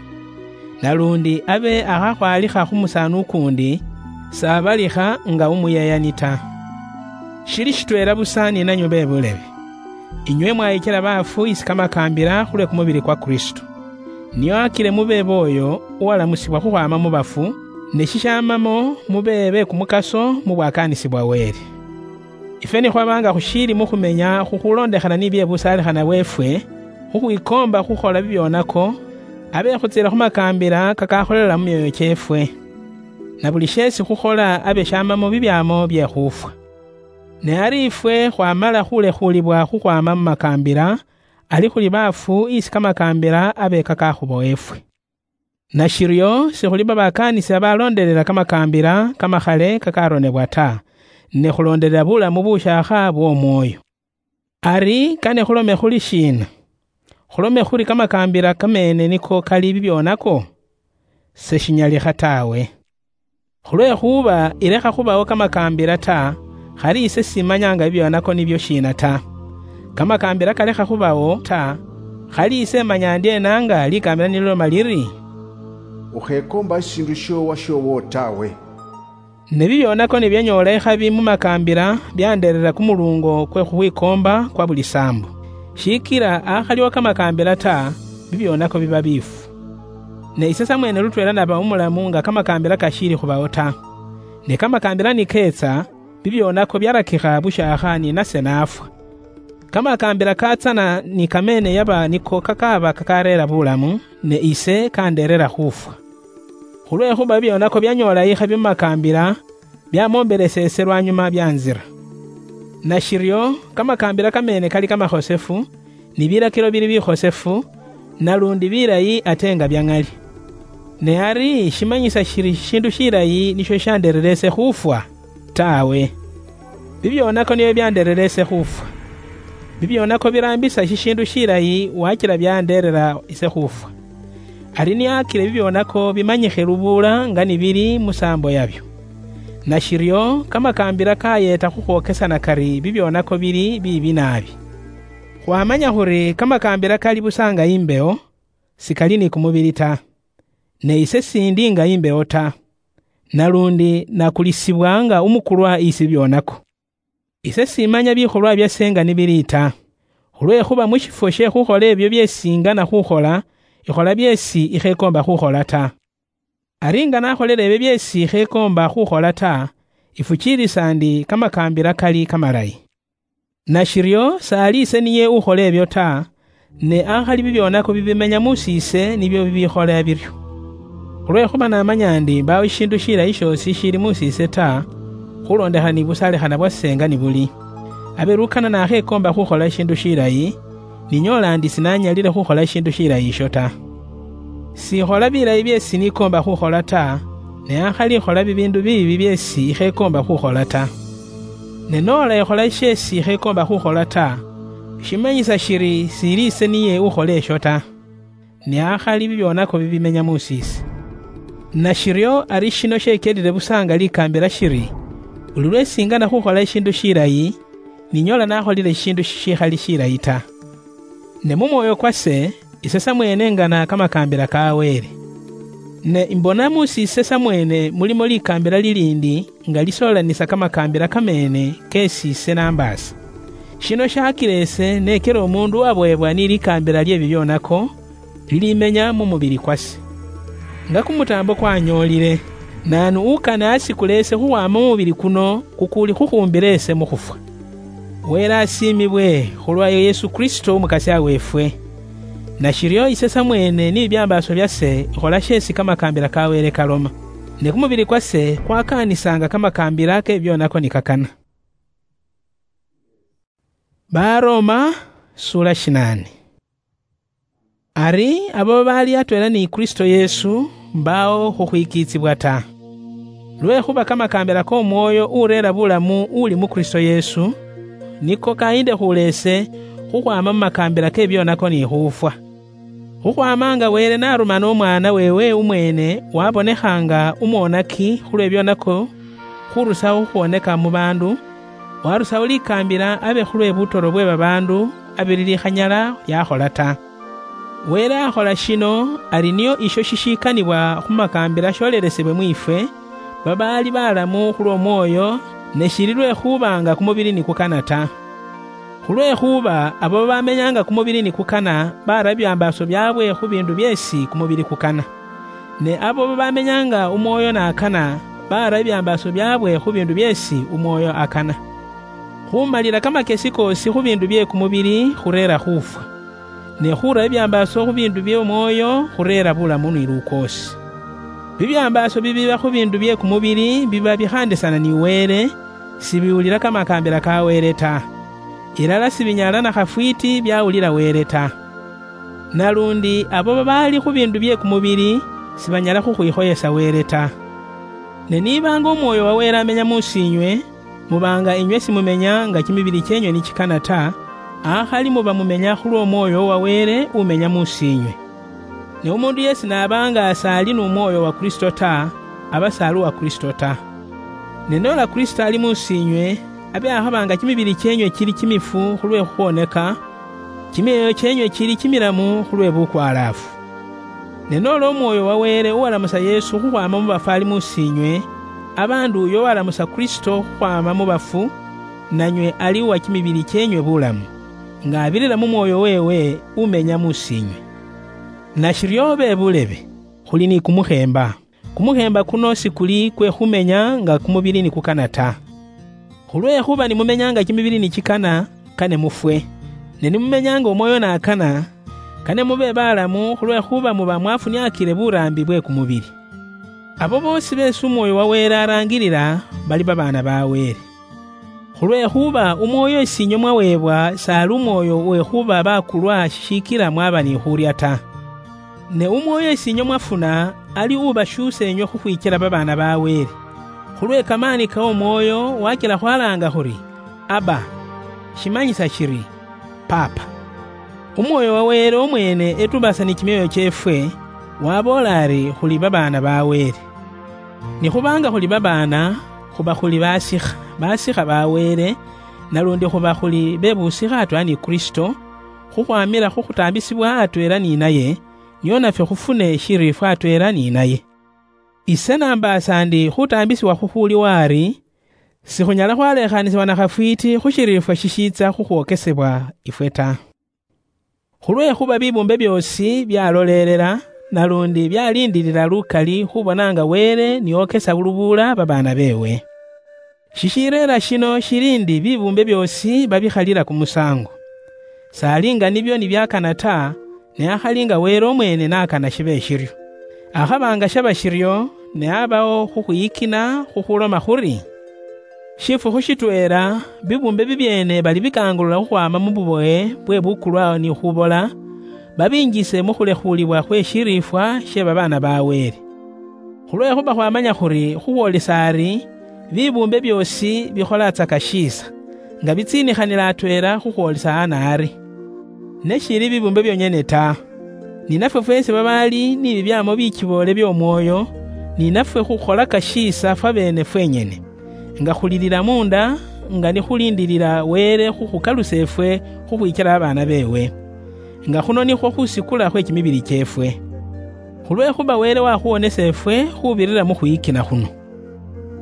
Naluundi abe akhakhwalikha khu musaani ukuundi, s'abalikha nga umuyeyani ta. Shili shitweela busa ni nanywe be bulebe. Inywe mwayikila baafu isi kamakaambila khulwe kumubili kwa Kristo. Niyo akile mube booyo uwalamusibwa khukhwaama mu bafu, ne shishamamo mube be kumukaso mu bwakaanisi bwa Wele. Ifwe ni khwaba nga khushiili mu khumenya khukhulondekhana ni bye busaalikhana bweefwe, khukhwikoomba khukhola bibyonako, abe khutsila khu makaambila kakakholela mu myoyo kyeefwe. Na buli sheesi khukhola abe shamamo bibyaamo bye khufwa. Ne ari ifwe khwamala khulekhuulibwa khukhwaama mu makaambila, ali khuli baafu isi kamakaambila abe kakakhubowa ifwe. Nashiryo sikhuli babakaanisi abaloondelela kamakaambila kamakhale kakaronebwa ta, ne khuloondelela bulamu bushaakha bw'omwoyo. Ari kane khulome khuli shiina? Khulome khuli kamakaambila kameene niko kali bibyonako? Seshinyalikha tawe. Khulwekhuba ilekha khubawo kamakaambila ta, khali ise simanyanga bibyonako nibyo shiina ta. Kamakaambila kalekha khubawo ta, khali ise manya ndyeena nga likaambila nililoma liri, "Ukhekoomba shishiindu shiowa shiowo tawe." Ne bibyonako nibyanyoola ikhabi mu makaambila, byandeerera kumuluungo kwe khukhwikoomba kwa buli saambo. Shiikila akhaliwo kamakaambila ta, bibyonako biba biifu. Ne ise samweene lutweela naba umulamu nga kamakaambila kashiili khubawo ta. Ne kamakaambila nikeetsa, bibyonako byarakikha bushaakha ni nase naafwa. Kamakaambila katsana ni kameene yaba niko kakaaba kakareera bulamu, ne ise kandeerera khufwa. Khulwekhuba bibyonako byanyoola ikhabi mu makaambila, byamoombelesa ise lwanyuma byanzira. Nashiryo, kamakaambila kameene kali kamakhosefu, ni bilakilo bili bikhosefu, nalundi bilayi ate nga bya ŋali. Ne ari shimanyisa shiri shishiindu shilayi nisho shandeerera ise khufwa? Tawe. Bibyonako nibyo byandeerera ise khufwa. Bibyonako biraambisa shishiindu shilayi wakila byandeerera ise khufwa. Ari niakile bibyonako bimanyikhe lubuula nga nibili musaambo yabyo. Nashiryo, kamakaambila kayeeta khukhwokesana kari bibyonako bili biibi naabi. Khwamanya khuri kamakaambila kali busa nga imbewo, sikali ni kumubili ta. Ne ise sindi nga imbewo ta. Nalundi nakulisibwa nga umukulwa isi bibyonako. Ise simanya bikholwa byase nga nibili ta, khulwekhuba mu shifwo she khukhola ebyo byeesi ingana khukhola, ikhola byeesi ikhekoomba khukhola ta. Ari nga nakholele ebyo byeesi ikhekoomba khukhola ta, ifukiilisa ndi kamakaambila kali kamalayi. Nashiryo, saali ise niye ukhola ebyo ta, ne akhali bibyonako bibimenya mu siise nibyo bibikhola biryo. Khulwekhuba namanya ndi mbaawo shishiindu shilayi shoosi shili mu siise ta, khulondekhana ni busalikhana bwase nga nibuli. Abe lukana nakhekoomba khukhola shishiindu shilayi, ninyoola ndi sinanyalile khukhola shishiindu shilayi isho ta. Sikhola bilayi byeesi nikoomba khukhola ta, ne akhali ikhola bibiindu biibi byeesi ikhekoomba khukhola ta. Ne noola ikhola sheesi ikhekoomba khukhola ta, shimanyisa shiri siili ise niye ukhola esho ta, ne akhali bibyonako bibimenya mu siise. Nashiryo ari shino shekelile busa nga likaambila shiri, buli lweesi ingana khukhola ishiindu shilayi, ninyoola nakholile ishiindu shishikhali shilayi ta. Ne mu mwoyo kwase, ise samweene ngana kamakaambila ka Wele. Ne imbona mu siise samweene mulimo likaambila liliindi nga lisoolanisa kamakaambila kameene keesi ise nambaasa. Shino shakila ise nekela omuundu uwaboyebwa ni likaambila lye bibyonako, lilimenya mu mubili kwase. Nga kumutaambo kwanyoolile, naanu ukane asikule ise khukhwaama mu mubili kuno kukuuli khukhuumbile ise mu khufwa? Wele asiimibwe khulwa Yesu Kristo Umukasya weefwe. Nashiryo ise samweene ni bibyambaaso byase ikhola sheesi kamakaambila ka Wele kaloma. Ne kumubili kwase kwakaanisaanga kamakaambila ke bibyonako nikakana. Baroma, sura shinaane. Ari abo babaali atweela ni Kristo Yesu, mbaawo khukhwikiitsibwa ta. Lwekhuba kamakaambila k'Omwoyo ureera bulamu uli mu Kristo Yesu, niko kayindekhuula ise khukhwaama mu makaambila ke bibyonako ni khufwa. Khukhwaama nga Wele narumana Omwaana weewe umweene wabonekha nga umwonaki khulwe bibyonako, khurusaho khukhwoneka mu baandu, warusaho likaambila abe khulwe butoro bwe babaandu abili likhanyala lyakhola ta. Wele akhola shino ari nio isho shishikanibwa khu makaambila sholelesebwe mwiifwe, babaali balamu khulw'Omwoyo, ne shili lwekhuba nga kumubili nikukana ta. Khulwekhuba abo babamenyaanga kumubili nikukana baara bibyambaaso byaabwe khu biindu byeesi kumubili kukana. Ne abo babamenyaanga Umwoyo n'akana, baara bibyambaaso byaabwe khu biindu byeesi Umwoyo akana. Khumalila kamakesi koosi khu biindu bye kumubili khureera khufwa, ne khuura bibyambaaso khu biindu by'Omwoyo khureera bulamu ni lukoosi. Bibyambaaso bibiba khu biindu bye kumubili biba bikhaandisana ni Wele, sibiwulila kamakaambila ka Wele ta. Ilala sibinyala na khafwiiti byawulila Wele ta. Nalundi abo babaali khu biindu bye kumubili, sibanyala khukhwikhoyesa Wele ta. Ne nibanga Omwoyo wa Wele amenya mus'inywe, mubanga inywe simumenya nga kimibili kyenywe nichikana ta, akhali muba mumenya khulw'Omwoyo wa Wele umenya mus'inywe. Ne umundu yesi nabanga sali n'Omwoyo wa Kristo ta, aba sali uwa Kristo ta. Ne nola Kristo ali mus'inywe, abe akhabanga kimibili kyenywe kili kimifu khulwe khukhwoneka, kimioyo kyenywe kili kimilamu khulwe bukwalaafu. Ne nola Omwoyo wa Wele uwalamusa Yesu khukhwama mu bafu ali mus'inywe, abandu uyo uwalamusa Kristo khukhwama mu bafu, nanywe ali uwa kimibili kyenywe bulamu, nga abirira mu Mwoyo wewe umenya mus'inywe. Nashiryo bebulebe, khuli ni kumukhemba. Kumukhemba kuno sikuli kwe khumenya nga kumubili nikukana ta. Khulwekhuba nimumenya nga kimibili nichikana, kane mufwe. Ne nimumenya nga Omwoyo nakana, kane mube balamu, khulwekhuba muba mwafuniakire burambi bwe kumubili. Abo boosi beesi Omwoyo wa Wele arangirira, bali babaana ba Wele. Khulwekhuba Umwoyo isi inywe mwaweebwa sali umwoyo wekhuba bakulwa shishikila mwaba ni khurya ta. Ne Umwoyo isi inywe mwafuna ali ubashuusa inywe khukhwichela babaana ba Wele. Khulwe kamaani ka Umwoyo wachela khwalaanga khuri, "Abba," shimanyisa shiri, "Paapa." Umwoyo wa Wele omwene etubasa ni kimioyo kyeefwe, waboola ari khuli babaana ba Wele. Nikhubanga khuli babaana, khuba khuli basikha, basikha ba Wele, nalundi khuba khuli bebusikha atweela ni Kristo, khukhwamila khukhutaambisibwa atweela ni naye, nio nafwe khufune eshiriifwa atweela ni naye. Ise nambaasa ndi khutaambisibwa khukhuuliwo ari, sikhunyala khwalekhanisibwa na khafwiiti khu shiriifwa shishiitsa khukhwokesebwa ifwe ta. Khulwekhuba bibuumbe byoosi byalolelela, nalundi byaliindilila lukali khubona nga Wele niokesa lubula babaana beewe. Shishireera shino shili ndi bibuumbe byoosi babikhalila kumusaango. Sali nga nibyo nibyakana ta, ne akhali nga Wele omwene nakana shibe shiryo. Akhaba nga shaba shiryo, ne abawo khukhwiyikina khukhuloma khuri, shifukhu shitweela, bibuumbe bibyeene bali bikangulula khukhwaama mu buboye bwe bukulwa ni khubola, babinjise mu khulekhuulibwa khwe shiriifwa she babaana ba Wele. Khulwekhuba khwamanya khuri khukhwolisa ari, bibuumbe byoosi bikholatsaka shiisa, nga bitsiinikhanila atweela khukhwolisa hana ari. Ne shili bibuumbe byonyene ta, ni nafwe fweesi babaali ni bibyaamo bikiboole by'Omwoyo, ni nafwe khukholaka shiisa fwabeene fwenyene, nga khulilila munda, nga nikhuliindilila Wele khukhukalusa efwe khukhwichela abaana beewe, nga khuno nikhwo khusikula khwe kimibili kyeefwe. Khulwekhuba Wele wakhuwonesa efwe khubirira mu khwiyikina khuno.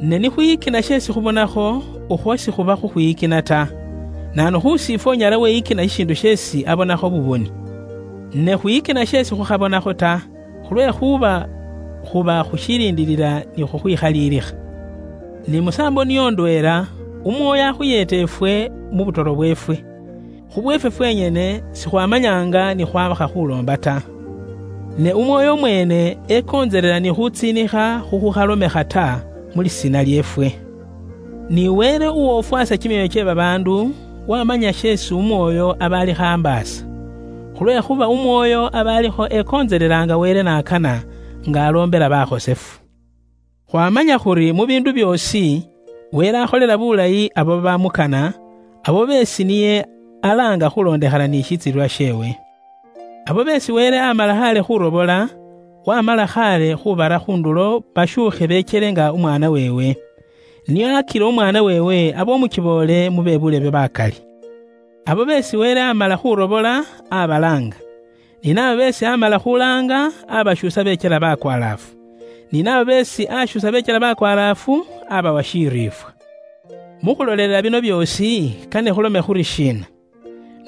Ne nikhwiyikina sheesi khubonakho, okhwo sikhuba khukhwiyikina ta. Naanu khusiifwe onyala weyikina shishiindu sheesi abonakho buboni? Ne khwiyikina sheesi khukhabonakho ta, khulwekhuba khuba khushiliindilila ni khukhwikhaliilikha. Ni musaambo niyo ndweela, Umwoyo akhuyeeta efwe mu butoro bweefwe. Khubweefwe fwenyene sikhwamanyanga ni khwabakha khuloomba ta. Ne Umwoyo omwene ekontselela ni khutsiinikha khukhukhalomekha ta mu lisiina lyeefwe. Ni Wele uwofwasa kimioyo kye babaandu, wamanya sheesi Umwoyo aba alikho ambaasa. Khulwekhuba Umwoyo aba alikho ekontselelanga Wele nakana, nga aloombela bakhosefu. Khwamanya khuri mu biindu byoosi, Wele akholela bulayi abo babamukana, abo beesi niye alaanga khulondekhana ni shitsilwa sheewe. Abo beesi Wele amala khale khurobola, wamala khale khubara khundulo bashuukhe beechele nga Umwaana weewe. Niyo akila Umwaana weewe abe umukiboole mu be bulebe bakali. Abo beesi Wele amala khurobola, abalaanga. Ni nabo beesi amala khulaanga, abashuusa beechela bakwalaafu. Ni nabo beesi ashuusa beechela bakwalaafu, abawa shiriifwa. Mu khulolelela bino byoosi, kane khulome khuri shiina?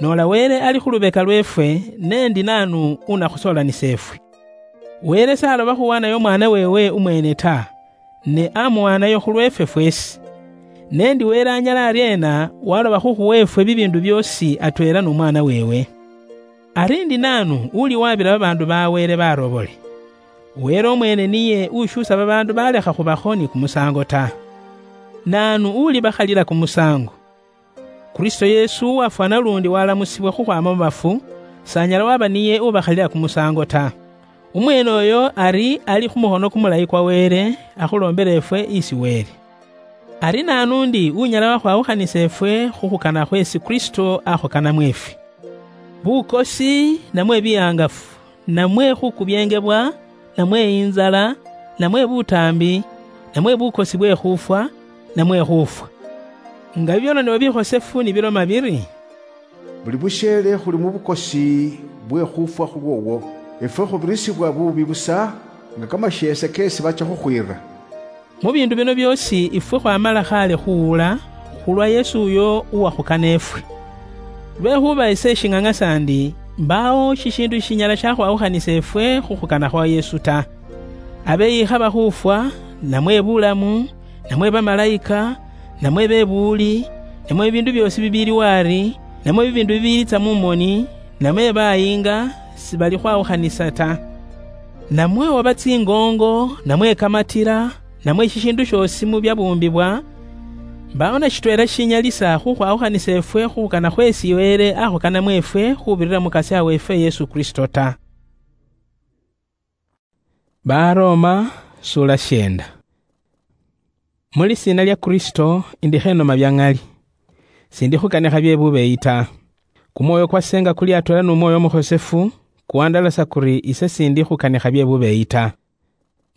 Noola Wele ali khu lubeka lweefwe, ne ndi naanu unakhusoolanisa efwe? Wele s'aloba khuwaanayo Umwaana weewe umweene ta, ne amuwaanayo khulweefwe fweesi. Ne ndi Wele anyala aryeena waloba khukhuwa efwe bibiindu byoosi atweela n'Umwaana weewe? Ari ndi naanu uli wabira babaandu ba Wele barobole? Wele omweene niye ushuusa babaandu balekha khubaho ni kumusaango ta. Naanu ulibakhalila kumusaango? Kristo Yesu uwafwana lundi walamusibwa khukhwama mu bafu, s'anyala waba niye ubakhalila kumusaango ta. Umwene oyo ari ali khu mukhono kumulayi kwa Wele, akhulombela efwe isi Wele. Ari naanu undi unyala wakhwawukhanisa efwe khu khukana khwesi Kristo akhukanamo efwe? Bukosi, namwe bihangafu, namwe khukubyengebwa, namwe inzala, namwe butaambi, namwe bukosi bwe khufwa, namwe khufwa? Nga bibyononebwa bikhosefu nibiloma biri, "Buli busheele khuli mu bukosi bwe khufwa khulwoowo, efwe khubirisibwa buubi busa nga kamasheese keesi bacha khukhwiira." Mu biindu bino byoosi ifwe khwamala khaale khuwula khulwa Yesu uyo uwakhukana efwe. Lwekhuba ise shing'ang'asa ndi, mbaawo shishiindu shishinyala shakhwawukhanisa efwe khu khukana khwa Yesu ta. Abe yikhaba khufwa, namwe bulamu, namwe bamalayika, namwe bebuuli, namwe bibiindu byoosi bibiiliwo ari, namwe bibiindu bibiilitsa mu moni, namwe bayinga, sibali khwawukhanisa ta. Namwe oba tsingongo, namwe kamatira, namwe shishiindu shoosi mu byabuumbibwa, mbaawo na shitweela shinyalisa khukhwawukhanisa efwe khu khukana khwesi Wele akhukanamo efwe khubirira mu Mukasya weefwe Yesu Kristo ta. Baroma, sura shienda. Mu lisiina lya Kristo, indi khenoma bya ng'ali. Sindi khukanikha bye bubeeyi ta. Kumwoyo kwase nga kuli atweela nu Mwoyo Mukhosefu, kuwandalasa kuri ise sindi khukanikha bye bubeeyi ta.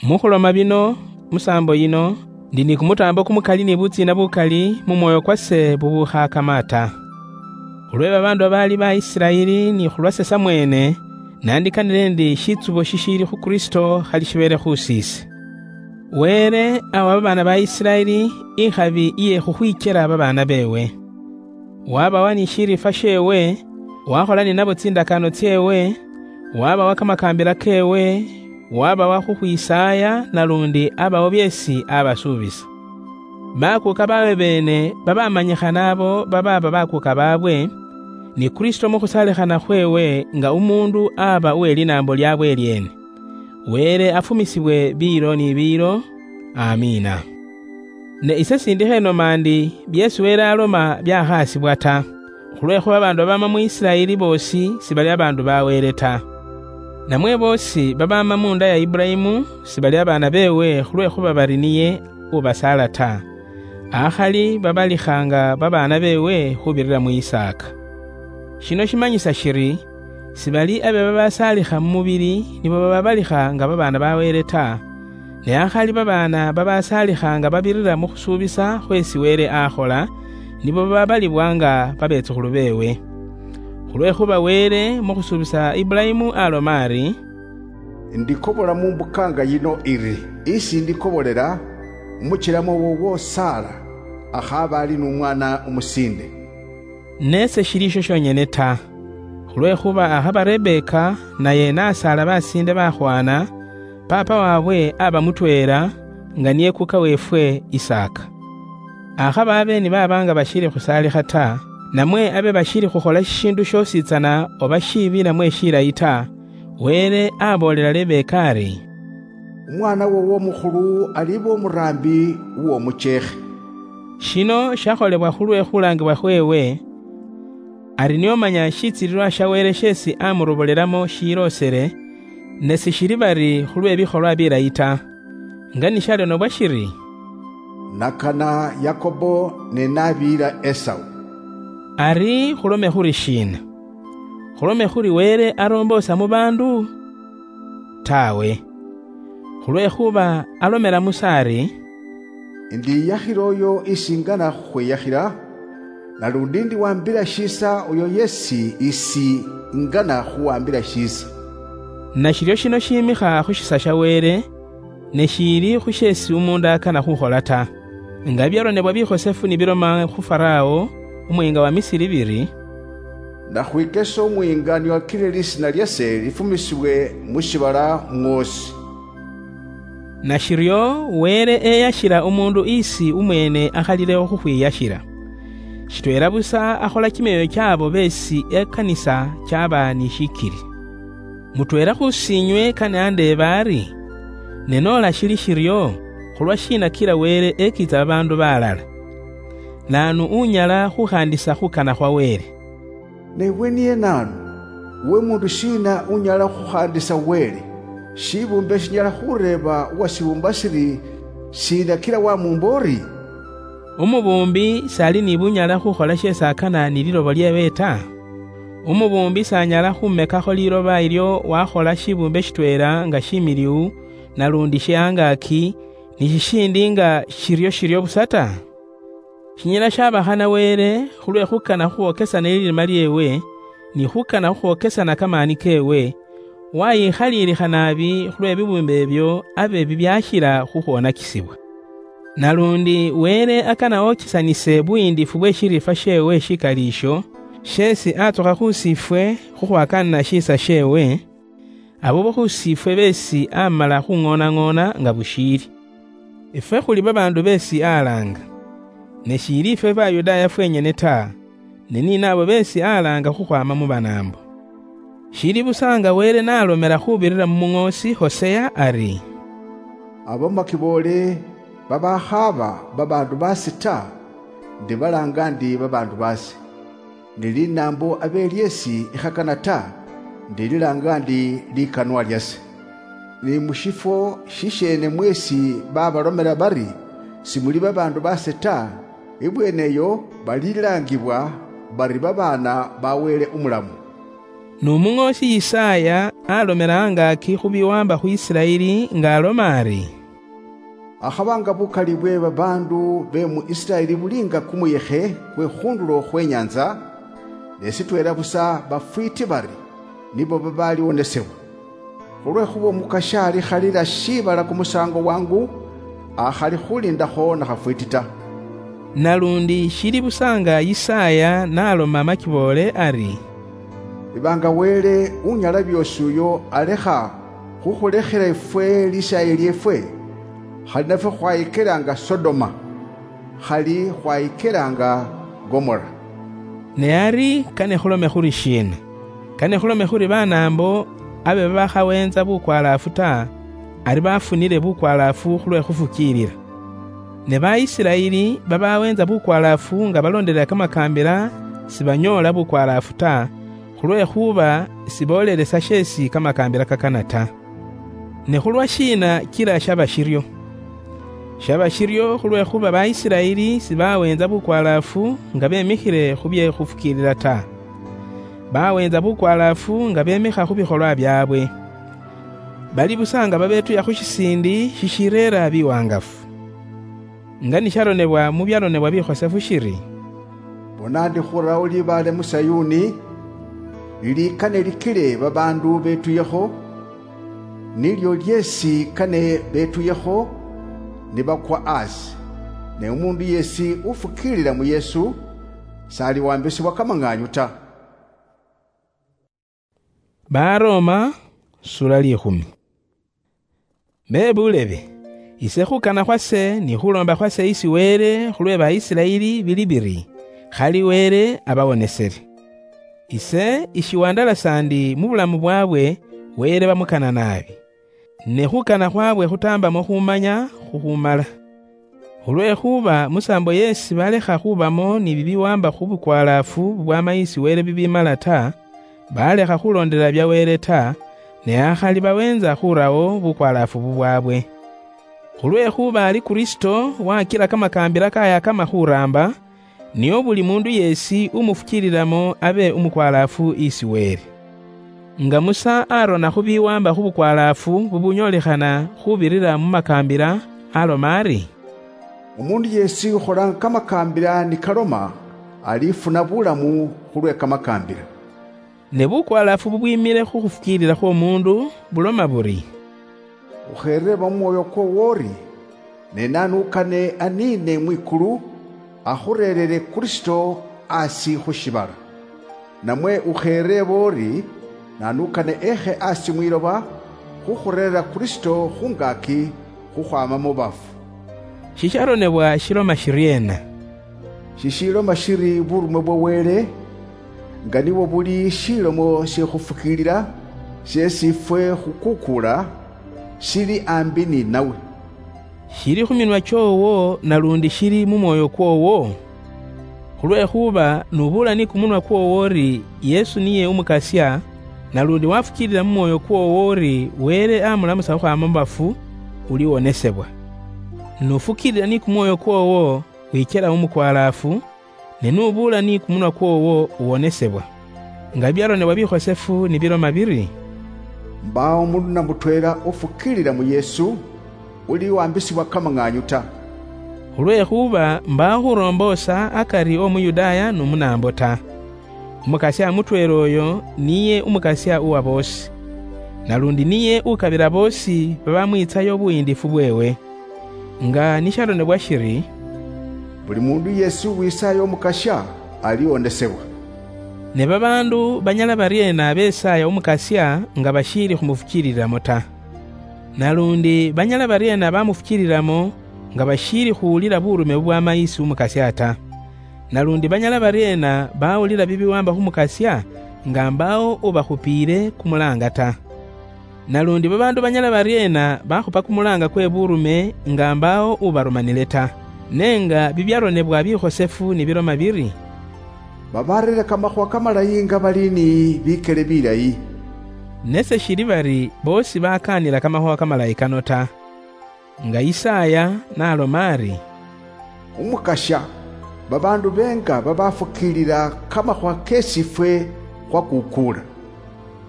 Mukhuloma bino, musaambo yino, ndi ni kumutaambo kumukali ni butsiina bukali mu mwoyo kwase bubukhaakama ta. Khulwe babaandu babaali ba Isiraeli ni khulwase samweene, naandikanile ndi shitsubo shishiili khu Kristo khali shibeele khusiise. Wele awa babaana ba Isiraeli ikhabi iye khukhwikyela babaana beewe. Wabawa ni shirifa sheewe, wakhola ninabo tsindakaano tseewe, wabawa kamakaambila keewe, wabawa khukhwisaaya, nalundi abawo byeesi abasuubisa. Bakuuka baawe beene babamanyikhana abo babaaba bakuuka baabwe, ni Kristo mu khusaalikhana khweewe nga umuundu aba uwe linaambo lyaabwe elyeene. Wele afumisibwe biilo ni biilo. Amiina. Ne ise sindi khenoma ndi byeesi Wele aloma byakhaasibwa ta, khulwekhuba babaandu babaama mu Isiraeli boosi sibali babaandu ba Wele ta. Namwe boosi babaama mu nda ya Ibulayimu sibali babaana beewe khulwekhuba bari niye ubasaala ta. Akhali babalikha nga babaana beewe khubirira mu Isaaka. Shino shimanyisa shiri, sibali abe babasaalikha mu mubili nibo bababalikha nga babaana ba Wele ta, ne akhali babaana babasaalikha nga babirira mu khusuubisa khweesi Wele akhola, nibo bababalibwa nga babetsukhulu beewe. Khulwekhuba Wele mu khusuubisa Ibulayimu aloma ari, "Ndikobola mu mbukaanga yino iri, isi ndikobolela, umukyelamo woowo Saala akhaaba ali n'umwaana umusiinde." Ne seshili esho shonyene ta, khulwekhuba akhaba Rebeka naye nasaala basiinde bakhwana, paapa waabwe aba mutweela, nga niye kuka weefwe Isaaka. Akhaba abe ni baaba nga bashiili khusaalikha ta, namwe abe bashiili khukhola shishiindu shoosi tsana oba shiibi namwe shilayi ta, Wele aboolela Rebeka ari, "Umwaana woowo umukhulu aliba umuraambi w'omucheekhe." Shino shakholebwa khulwe khulaangibwa khweewe, ari niye omanya shitsiililwa sha Wele sheesi amurobolelamo shiloosele, ne sishili bari khulwe bikholwa bilayi ta. Nga nishalonobwa shiri, "Nakana Yakobo ne nabiila Esau." Ari khulome khuri shiina? Khulome khuri Wele aroomboosa mu baandu? Tawe. Khulwekhuba alomela Musa ari, "Ndiyakhila oyo isi ngana khukhwiyakhila, nalundi ndiwambila shiisa oyo yesi isi ngana khuwambila shiisa." Nashiryo shino shiimikha khu shisa sha Wele, ne shiili khu sheesi umuundu akana khukhola ta. Nga byaronebwa bikhosefu nibiloma khu Farao, umuyiinga wa Misiri biri, "Nakhwikesa umuyiinga niwakile lisiina lyase lifumisibwe mu shibala mwoosi." Nashiryo, Wele eyashila umuundu isi umweene akhalilewo khukhwiyashila. Shitweela busa akhola kimyoyo kyaabo beesi ekanisa kyaba ni shikili. Mutweela khusiinywe kane andeeba ari, "Ne noola shili shiryo, khulwa shiina kila Wele ekiitsa babaandu balala? Naanu unyala khukhaandisa khukana khwa Wele?" "Newe niye naanu? Uwe muundu shiina unyala khukhaandisa Wele? Shibumbe shinyala khureeba uwashiumba shiri, "Shiina kila wamuumba ori?" Umubumbi sali ni bunyala khukhola sheesi akana ni liloba lieewe ta? Umubumbi sanyala khumekakho liloba ilyo wakhola shibumbe shitweela nga shimiliu, nalundi she angaaki, ni shishindi nga shirio shirio busa ta? Shinyala shabakhana Wele khulwe khukana khukhwokesana lilima lieewe, ni khukana khukhwokesana kamaani keewe, wayikhaliilikha naabi khulwe bibumbe ebyo abe bibyashila khukhwonakisibwa. Nalundi Wele akana okisanise buyiindifu bwe shirifa sheewe shikali isho, sheesi atsukha khu sifwe khukhwakaanana shiisa sheewe, abo bo khu sifwe beesi amala khung'oonang'oona nga bushiili. Ifwe khuli babaandu beesi alaanga, ne shiili ifwe Bayudaaya fwenyene ta, ne ni naabo beesi alaanga khukhwaama mu Banaambo. Shili busa nga Wele nalomela khubirira mu muŋoosi Hosea ari, "Abo makiboole babakhaaba babaandu baase ta, ndibalaanga ndi babaandu baase. Ni linaambo abe lyeesi ikhakana ta, ndililaanga ndi likanwa lyase. Ni mu shifwo shisheene mweesi babalomela bari, 'Simuli babaandu baase ta,' ibweene eyo balilaangibwa bari babaana ba Wele umulamu." Ni umuŋoosi Yisaaya alomela angaaki khu biwaamba khu Isiraeli nga aloma ari, "Akhaba nga bukali bwe babaandu be mu Isiraeli buli nga kumuyekhe kwe khundulo khwe nyanza, ne sitweela busa bafwiiti bari nibo babaliwonesebwa. Khulwekhuba Omukashi alikhalila shiibala kumusaango wangu, akhali khuliindakho na khafwiiti ta." Nalundi shili busa nga Yisaaya naloma amakiboole ari, "Iba nga Wele Unyala Byoosi uyo alekha khukhulekhela ifwe lisaayi lyeefwe, khali nafwe khwayikelaanga Sodoma, khali khwayikelaanga Gomora." Ne ari kane khulome khuri shiina? Kane khulome khuri Banaambo abe babakhaweentsa bukwalaafu ta, ari bafunile bukwalaafu khulwe khufukiilila. Ne ba Isiraeli babaweentsa bukwalaafu nga balondelela kamakaambila, sibanyoola bukwalaafu ta, khulwekhuba siboolelesa sheesi kamakaambila kakana ta. Ne khulwa shiina kila shaba shiryo? Shaba shiryo khulwekhuba ba Isiraeli sibaweentsa bukwalaafu nga bemikhile khu bye khufukiilila ta. Baweentsa bukwalaafu nga bemikha khu bikholwa byaabwe. Bali busa nga babetuya khu shisiindi shishireera biwangafu. Nga nisharonebwa mu byaronebwa bikhosefu shiri, "Bona, ndi khurawo libaale mu Sayuni, lili kane likile babaandu betuyekho, nilyo lyeesi kane betuyekho nibakwa aasi. Ne umuundu yeesi ufukiilila mu Yesu, s'aliwambisibwa kamang'aanyu ta." Baroma, sura likhumi. Be bulebe, ise khukana khwase ni khulomba khwase isi Wele khulwe Baisiraeli bili biri, khali Wele abawonesele. Ise ishiwandalasa ndi mu bulamu bwabwe Wele bamukana naabi. Ne khukana khwabwe khutambamo khumanya khukhumala. Khulwekhuba musaambo yeesi balekha khubamo ni bibiwaamba khu bukwalaafu bwa mayisi Wele bibimala ta, balekha khulondelela bya Wele ta, ne akhali baweentsa khurawo bukwalaafu bubwabwe. Khulwekhuba ali Kristo wakila kamakaambila kayakama khuraamba, nio buli muundu yeesi umufukiililamo abe umukwalaafu isi Wele. Nga Musa arona khu biwaamba khu bukwalaafu bubunyolekhana khubirira mu makaambila, aloma ari, "Umuundu yeesi ukholanga kamakaambila ni kaloma, alifuna bulamu khulwe kamakaambila." Ne bukwalaafu bubwimile khu khufukiilila khw'omuundu buloma buri, "Ukhereeba mu mwoyo kwoowo uri, ne naanu ukane aniine mwikulu, akhureerere Kristo asi khu shiibala. Namwe ukhereeba uri, naanu ukane ekhe asi mwiloba, khukhureerera Kristo khungaaki khukhwaama mu bafu." Shisharonebwa shiloma shiryeena? Shishiloma shiri burumwe bwa Wele, nga nibwo buli shilomo shikhufukiilila, sheesi ifwe khukukuula, shili ambi ni nawe. Shili khu minwa kyoowo, nalundi shili mu mwoyo kwoowo? Khulwekhuba nubuula ni kumunwa kwoowo uri Yesu niye Umukasya, Nalundi wafukiilila mu mwoyo kwoowo ori Wele amulamusa okhwama mu bafu, uliwonesebwa. N'ufukiilila ni kumwoyo kwoowo wichela umukwalaafu, ne n'ubuula ni kumunwa kwoowo uwonesebwa. Nga byaronebwa bikhosefu nibiloma biri, "Mbaawo mundu na mutweela ufukiilila mu Yesu, uliwambisibwa kamang'aanyu ta." Khulwekhuba mbaawo khuromboosa akari w'Omuyudaaya n'Omunaambo ta. Umukasya mutweela oyo niye Umukasya uwa boosi, nalundi niye ukabila boosi babamwiitsayo obuyiindifu bweewe. Nga nisharonebwa shiri, "Buli mundu yeesi uwisaaya Umukasya, aliwonesebwa." Ne babaandu banyala baryeena besaaya Umukasya nga bashiili khumufukiililamo ta? Nalundi banyala baryeena bamufukiililamo nga bashiili khuwulila burume bubwama isi Umukasya ta? Nalundi banyala baryeena bawulila bibiwamba khu Mukasya nga mbaawo ubakhupiile kumulaanga ta? Nalundi babaandu banyala baryeena bakhupa kumulaanga kwe burume nga mbaawo ubarumanile ta? Ne nga bibyaronebwa bikhosefu nibiloma biri, "Babareere kamakhuwa kamalayi nga bali ni bikele bilayi." Ne seshili bari boosi bakaanila kamakhuwa kamalayi kano ta. Nga Isaya naloma ari, "Umukasya, babaandu benga babafukiilila kamakhuwa keesi ifwe khwakukuula."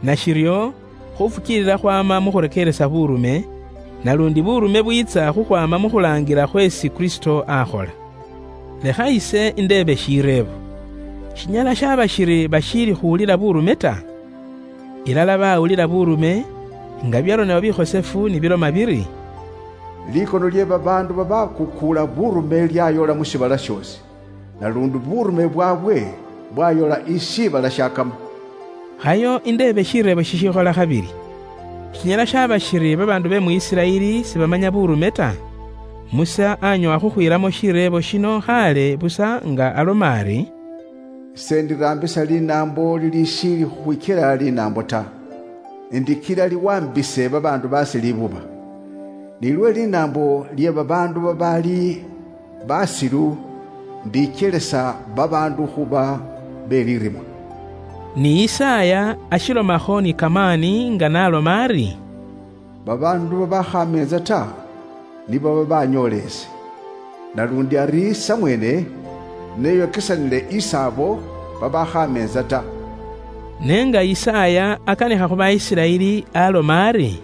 Nashiryo, khufukiilila khwama mu khurekeeresa burume, nalundi burume bwiitsa khukhwama mu khulaangila khweesi Kristo akhola. Lekha ise indeebe shireebo. Shinyala shaba shiri bashiili khuwulila burume ta? Ilala bawulila burume, nga byaronebwa bikhosefu nibiloma biri, "Likono lye babaandu babakukuula burume lyayoola mu shiibala shoosi, nalundi burume bwaabwe bwayoola ishiibala shiakama." Khayo indeebe shireebo shishikhola khabili. Shinyala shaba shiri babaandu be mu Isiraeli sibamanya burume ta? Musa anyoowa khukhwiilamo shireebo shino khaale busa nga aloma ari, "Ise ndiraambisa linaambo lilishiili khukhwikyela linaambo ta, ndikila liwaambise babaandu baase libuba. Nilwe linaambo lye babaandu babaali basilu, ndikyelesa babaandu khuba be lirimwa." Ni Isaya ashilomakho ni kamaani nga naloma ari, "Babaandu babakhameetsa ta, nibo babanyoola ese. Nalundi ari samweene, neyokesanile isaabo babakhameetsa ta." Ne nga Isaya akanikha khu Baisiraeli, aloma ari,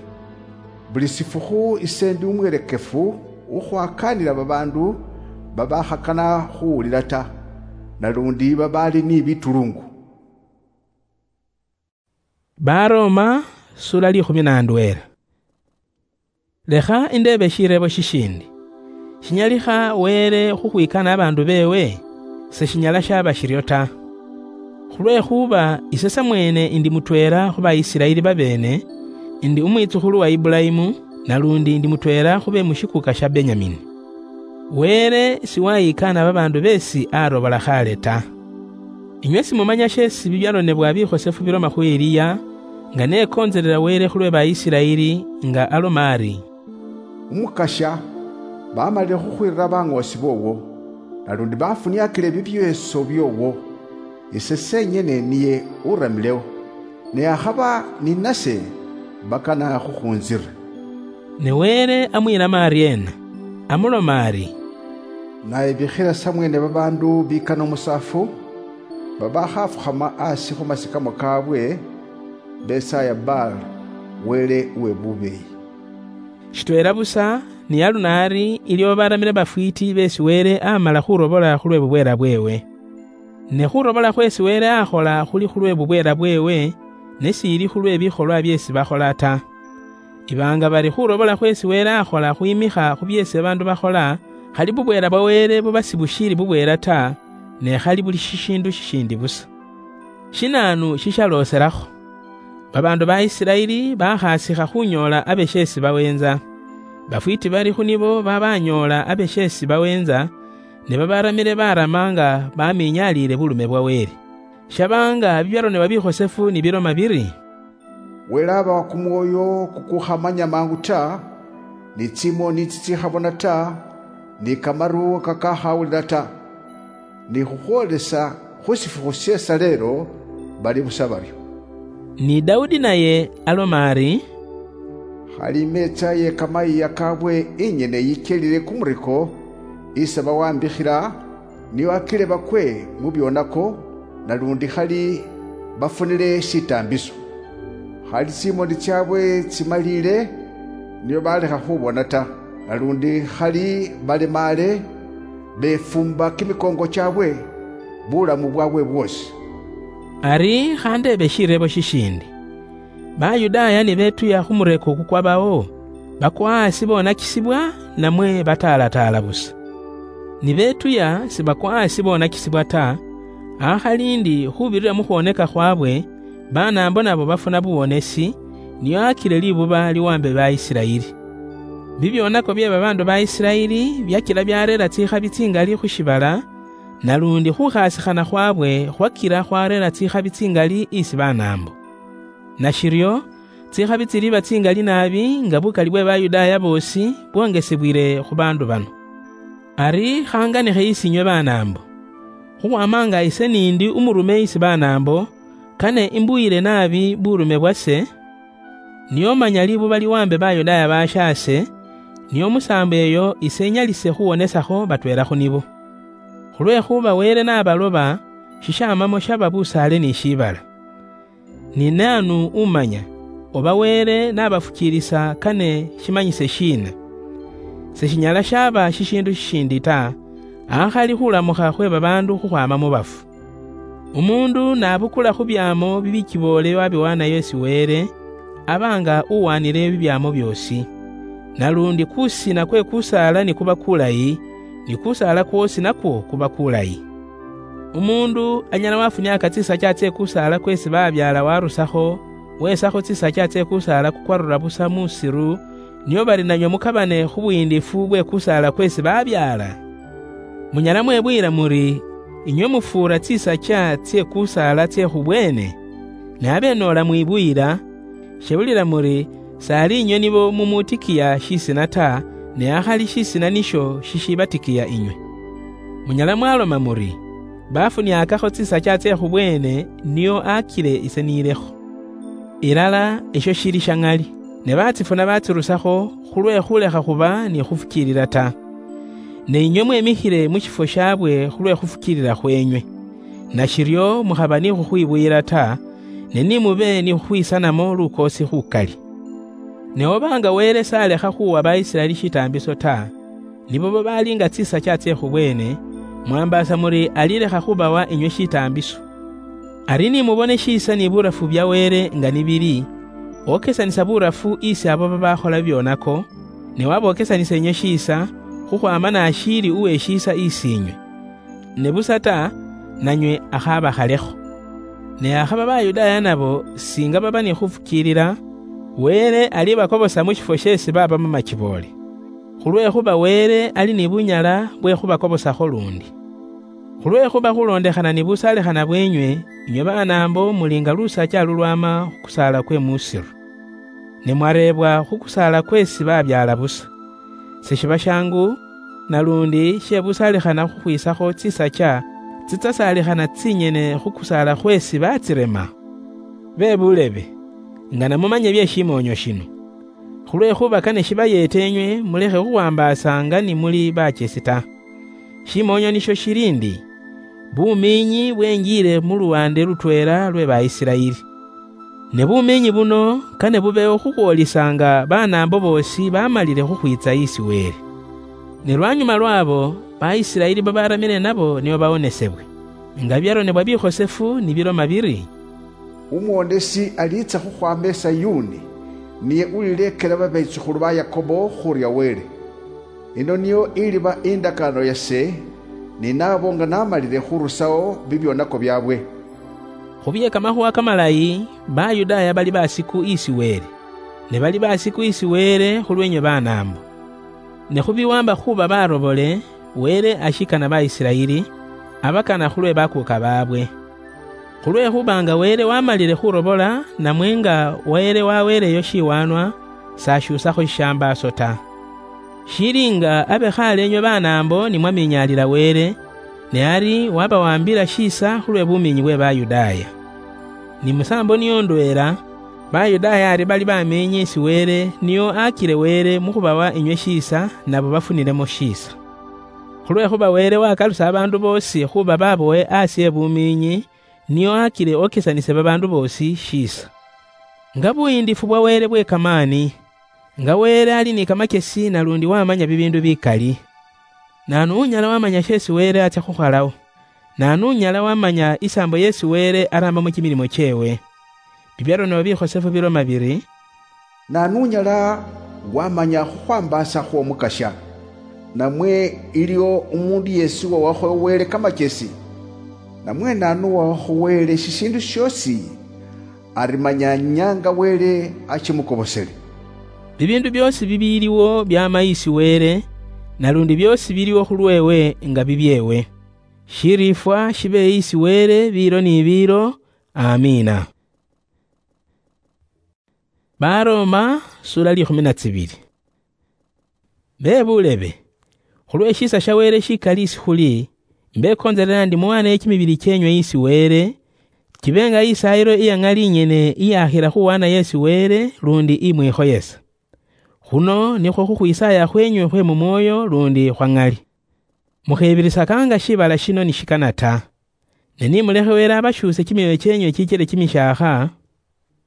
"Buli shifukhu ise ndi umwelekefu khukhwakaanila babaandu babakhakana khuwulila ta, nalundi babaali ni bitulungu." Baroma, sura likhumi na ndweela. Lekha indeebe shireebo shishindi. Shinyalikha Wele khukhwikana abaandu beewe? Seshinyala shaba shiryo ta. Khulwekhuba ise samweene ndi mutweela khu Baisiraeli babeene, ndi umwitsukhulu wa Ibulayimu, nalundi ndi mutweela khu be mu shikuuka sha Benyamini. Wele siwayikaana babaandu beesi arobola khaale ta. Inywe simumanya sheesi bibyaronebwa bikhosefu biloma khu Eliya, nga nekontselela Wele khulwe Baisiraeli, nga aloma ari, "Umukasya, bamalile khukhwirira bang'oosi boowo, nalundi bafuniakile bibyeeso byoowo. Ise senyene niye uramilewo, ne akhaba ni nase bakana khukhunzira." Ne Wele amwiilamo aryeena? Amuloma ari, "Naye bikhila samweene babaandu bikana omusaafu, babakhafukhama asi khu masikamo kaabwe, besaaya Baal, wele uwe bubeeyi." Shitweela busa ni aluno ari ilyo baramile bafwiiti beesi Wele amala khurobola khulwe bubweela bweewe. Ne khurobola khweesi Wele akhola khuli khulwe bubweela bweewe, ne siili khulwe bikholwa byeesi bakhola ta. Iba nga bari khurobola khweesi Wele akhola khwimikha khu byeesi babaandu bakhola, khali bubweela bwa Wele buba sibushiili bubweela ta, ne khali buli shishiindu shishindi busa. Shinaanu shishaloselakho? Babaandu ba Isiraeli bakhasikha khunyoola abe sheesi baweentsa. Bafwiiti bari khu nibo babanyoola abe sheesi baweentsa, ne babaramile barama nga baminyaliile bulume bwa Wele. Shaba nga bibyaronebwa bikhosefu ni biloma biri, "Wele abawa kumwoyo kukukhamanya mangu ta, ni tsimoni tsitsikhabona ta, ni kamaru kakakhawulila ta, ni khukhwolesa khu shifukhu shie shaleelo bali busa baryo." Ni Daudi naye aloma ari, "Khali imeetsa ye kamayiiya kabwe inyene yichelile kumureko isi bawambikhila, nio akile bakwe mu byonako, nalundi khali bafunile shitaambiso. Khali tsimoni tsyaabwe tsimaliile, nio balekha khubona ta, nalundi khali balemaale, befuumba kimikoongo kyaabwe bulamu bwaabwe bwoosi." Ari khandeebe shireebo shishindi. Bayudaaya nibeetuya khu mureko kukwabawo, bakwa hasi bonakisibwa, namwe bataalataala busa? Nibeetuya sibakwa hasi bonakisibwa ta, akhali ndi khubirira mu khwoneka khwabwe, banaambo nabo bafuna buwonesi, nio akile libuba liwambe ba Isiraeli. Bibyonako bye babaandu ba Isiraeli byakila byareera tsikhabi tsingali khu shibala, nalundi khukhasikhana khwabwe khwakila khwareera tsikhabi tsingali isi banaambo. Nashiryo, tsikhabi tsiliba tsingali naabi nga bukali bwe Bayudaaya boosi bwongesebwile khu baandu bano. Ari khanganikhe isi inywe banaambo. Khukhwama nga ise nindi umurume isi banaambo, kane imbuyile naabi burume bwase, nio manya libuba liwambe Bayudaaya bashaase, nio musaambo eyo ise nyalise khuwonesakho batweela khu nibo. Khulwekhuba Wele nabaloba, shishamamo shaba busaale ni shibala. Ni naanu umanya, oba Wele nabafukiilisa kane shimanyise shiina? Seshinyala shaba shishiindu shishindi ta, akhali khulamukha khwe babaandu khukhwaama mu bafu. Umuundu nabukula khu byaamo bibikiboole wabiwaanayo esi Wele, aba nga uwaanile bibyaamo byoosi. Nalundi kusina kwe kusaala nikuba kulayi, ni kusaala kwoosi nakwo kuba kulayi. Umuundu anyala wafuniaka tsisacha tse kusaala kwesi babyaala warusakho, wesakho tsisacha tse kusaala kukwarura busa musiru, nio bari nanywe mukabane khu buyiindifu bwe kusaala kwesi babyaala? Munyala mwebuyila muri, inywe mufuura tsisacha tsie kusaala tsie khubweene? Ne abenoola mwibuyila, shebulila muri, sali inywe nibo mumutikiya shisina ta, ne akhali shisina nisho shishibatikiya inywe. Munyala mwaloma muri, bafuniakakho tsisacha tsie khubweene, nio akile ise nilekho. Ilala esho shili sha ŋali, ne batsifuna batsirusakho khulwe khulekha khuba ni khufukiilila ta. Ne inywe mwemikhile mu shifwo shabwe khulwe khufukiilila khwenywe. Nashiryo mukhaba ni khukhwibuyila ta, ne ni mube ni khukhwisanamo lukoosi khukali. Ne oba nga Wele salekha khuwa Baisiraeli shitaambiso ta, nibo babaali nga tsisacha tsie khubweene, mwambaasa muri alilekha khubawa inywe shitaambiso. Ari ni mubone shiisa ni burafu bya Wele nga nibili, okesanisa burafu isi abo babakhola bibyonako, ne wabokesanisa inywe shiisa, khukhwama nashiili uwe shiisa isi inywe. Ne busa ta, nanywe akhabakhalekho. Ne akhaba Bayudaaya nabo singa baba ni khufukiilila, Wele alibakobosa mu shifwo sheesi baba mu machiboole. Khulwekhuba Wele ali ni bunyala bwe khubakobosakho lundi. Khulwekhuba khulondekhana ni busalikhana bwenywe, inywe banaambo muli nga lusacha lulwama khu kusaala kwe musiru. Ne mwareebwa khu kusaala kwesi babyaala busa. Seshiba shangu, nalundi shebusalikhana khukhwisakho tsisacha tsitsasalikhana tsinyene khu kusaala khwesi batsirema. Be bulebe, nga namumanye bye shimoonyo shino. Khulwekhuba kane shibayeete enywe mulekhe khukhwambaasa nga ni muli bachesi ta. Shimoonyo nisho shili ndi, bumiinyi bwenjiile mu luwande lutweela lwe Baisiraeli. Ne bumiinyi buno kane bubeewo khukhwoolisa nga banaambo boosi bamalile khukhwiitsa isi Wele. Ne lwanyuma lwabo, Baisiraeli babaramile nabo nibo bawonesebwe. Nga byaronebwa bikhosefu nibiloma biri, "Umwonesi aliitsa khukhwama Esayuni, niye ulileekela babeechukhulu ba Yakobo khurya Wele. Ino niyo iliba indakaano yase ninabo nga namalile khurusao bibyonako byabwe." Khu bye kamakhuwa kamalayi, Bayudaaya bali basiku isi Wele, ne bali basiku isi Wele khulwenywe banaambo. Ne khu biwamba khuba barobole, Wele ashikana Baisiraeli, abakana khulwe bakuuka baabwe. Khulwekhuba nga Wele wamalile khurobola, namwe nga Wele waweeleyo shiwaanwa, sashuusakho shishambaaso ta. Shili nga abe khale enywe banaambo ni mwaminyaalila Wele, ne ari wabawambila shiisa khulwe bumiinyi bwe Bayudaaya. Ni musaambo niyo ndweela, Bayudaaya ari bali bameenye esi Wele niyo akire Wele mukhubawa inywe shiisa nabo bafunilemo shiisa. Khulwekhuba Wele wakalusa babaandu boosi khuba babowe asi ebumiinyi, niyo akire okesanise babaandu boosi shiisa. Nga buyiindifu bwa Wele bwe kamaani, nga Wele ali ni kamakesi nalundi wamanya bibiindu bikali. Naanu unyala wamanya sheesi Wele atsya khukholawo? Naanu unyala wamanya isaambo yeesi Wele arambamo kimilimo kyeewe? Bibyaronebwa bikhosefu biloma biri, "Naanu unyala wamanya khukhwambaasa khw'Omukasya? Namwe iliwo umuundu yeesi uwawakho Wele kamakyesi? Namwe naanu uwawakho Wele shishiindu syoosi ari manya inyaanga Wele achimukobosele?" Bibiindu byoosi bibiiliwo byaama isi Wele, nalundi byoosi biliwo khulweewe nga bibyeewe. Shiriifwa shibe isi Wele biilo ni biilo. Amiina. Baroma, sura likhumi na tsibili. Be bulebe, khulwe shiisa sha Wele shikali isi khuli, mbekonzelela ndi muwaane kimibili kyenywe isi Wele, kibe nga isaayilo iya ŋali inyene iyakhila khuwaanayo isi Wele lundi imwikhoyesa. Khuno nikhwo khukhwisaaya khwenywe khwe mu mwoyo lundi khwa ŋali. Mukhebirisakanga shibala shino nishikana ta. Ne nimulekhe Wele abashuuse kimyoyo kyenywe chichile kimishaakha,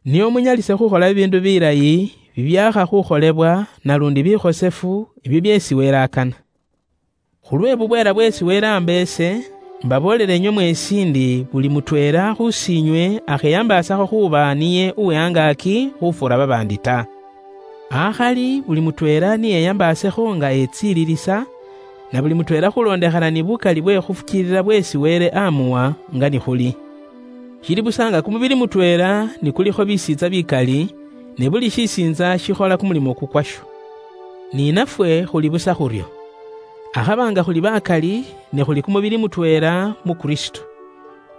nio munyalise khukhola bibiindu bilayi bibyakha khukholebwa nalundi bikhosefu, ibyo byeesi Wele akana. Khulwe bubweela bweesi Wele amba ese, mbaboolele inywe mweesi ndi buli mutweela khusiinywe akheyambaasakho khuuba niye uwe angaaki khufuura babaandi ta. Akhali buli mutweela niyeyambaasekho nga etsiililisa, na buli mutweela khuloondekhana ni bukali bwe khufukiilila bweesi Wele amuwa nga nikhuli. Shili busa nga kumubili mutweela nikulikho bisiitsa bikali, ne buli shisiintsa shikhola kumulimo kukwasho. Ni nafwe khuli busa khuryo. Akhaba nga khuli bakali, ne khuli kumubili mutweela mu Kristo.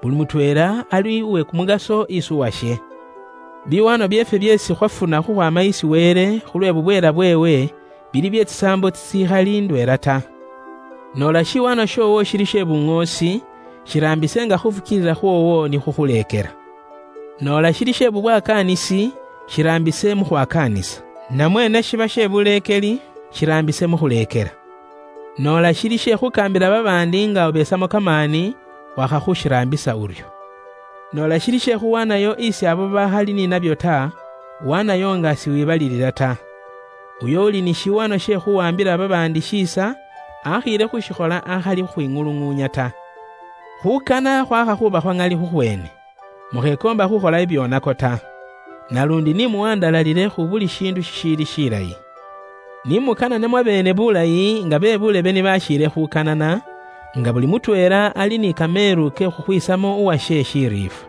Buli mutweela ali uwe kumugaso isi uwashe. Biwaano byeefwe byeesi khwafuna khukhwaama isi Wele khulwe bubweela bweewe, bili bye tsisaambo tsitsikhali ndweela ta. Noola shiwaano shoowo shili she buŋoosi, shiraambise nga khufukiilila khwoowo ni khukhuleekela. Noola shili she bubwakaanisi, shiraambise mu khwakaanisa. Namwe ne shiba she buleekeli, shiraambise mu khuleekela. Noola shili she khukaambila babaandi nga obeetsamo kamaani, wakhakhushiraambisa uryo. Noola shili she khuwaanayo isi abo bakhali ni nabyo ta, waanayo nga siwibalilila ta. Uyo uli ni shiwaano she khuwambila babaandi shiisa, akhiile khushikhola akhali khukhwing'ulung'uunya ta. Khukana khwakha khuba khwa ŋali khukhweene. Mukhekoomba khukhola bibyonako ta. Nalundi ni muwandalalile khu buli shiindu shishiili shilayi. Ni mukanane mwabeene bulayi nga be bulebe ni bashiile khukanana, nga buli mutweela ali ni kameelu ke khukhwiisamo uwashe shiriifwa.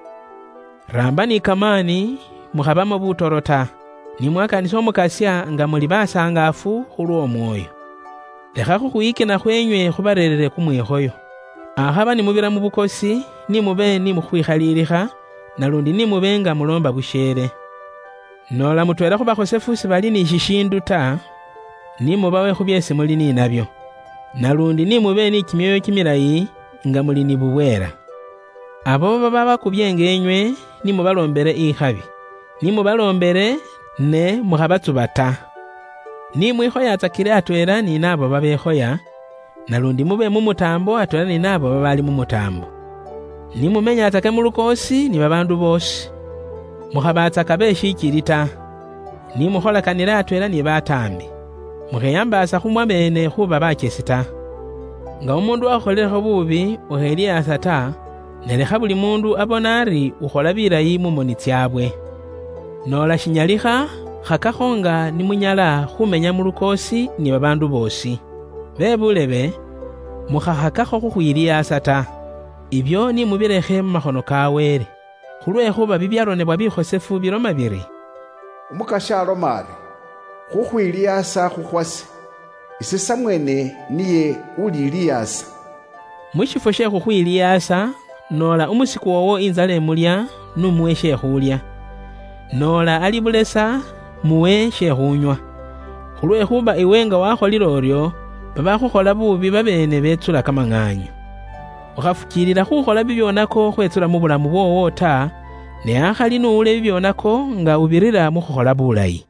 Raamba ni kamaani, mukhabamo butoro ta, ni mwakanisa Umukasya nga muli basangaafu khulw'omwoyo. Lekha khukhwiyikina khwenywe khubareerere kumwikhoyo. Akhaba ni mubira mu bukosi, ni mube ni mukhwikhaliilikha, nalundi ni mube nga muloomba busheele. Noola mutweela khu bakhosefu sibali ni shishiindu ta, ni mubawe khu byeesi muli ni nabyo. Nalundi ni mube ni kimyoyo kimilayi nga muli ni bubweela. Abo baba bakubye nga enywe, ni mubaloombele ikhabi. Ni mubaloombele, ne mukhabatsuba ta. Ni mwikhoyatsakile atweela ni naabo babekhoya, nalundi mube mu mutaambo atweela ni naabo babaali mu mutaambo. Ni mumenyatsake mu lukoosi ni babaandu boosi. Mukhabaatsaka be shichili ta. Ni mukholakanile atweela ni bataambi. Mukheyambaasa khu mwabeene khuba bachesi ta. Nga umuundu wakhukholelekho buubi, ukheliyaasa ta, ne lekha buli muundu abone ari ukhola bilayi mu moni tsyaabwe. Noola shinyalikha, khakakho nga ni munyala khumenya mu lukoosi ni babaandu boosi. Be bulebe, mukhakhakakho khukhwiliyaasa ta. Ibyo ni mubilekhe mu makhono ka Wele, khulwekhuba bibyaronebwa bikhosefu biloma biri, "Umukasya aloma ari, 'Khukhwiliyaasa khukhwase, ise samweene niye uliliyaasa.'" Mu shifwo she khukhwiliyaasa, noola umusiku woowo inzala imulya, n'umuwe she khuulya. Noola ali bulesa, muwe she khuunywa. Khulwekhuba iwe nga wakholile uryo, babakhukhola buubi babeene betsula kamang'aanyu. Ukhafukiilila khukhola bibyonako khwetsula mu bulamu bwoowo ta, ne akhali nuula ebibyonako nga ubirira mukhukhola bulayi.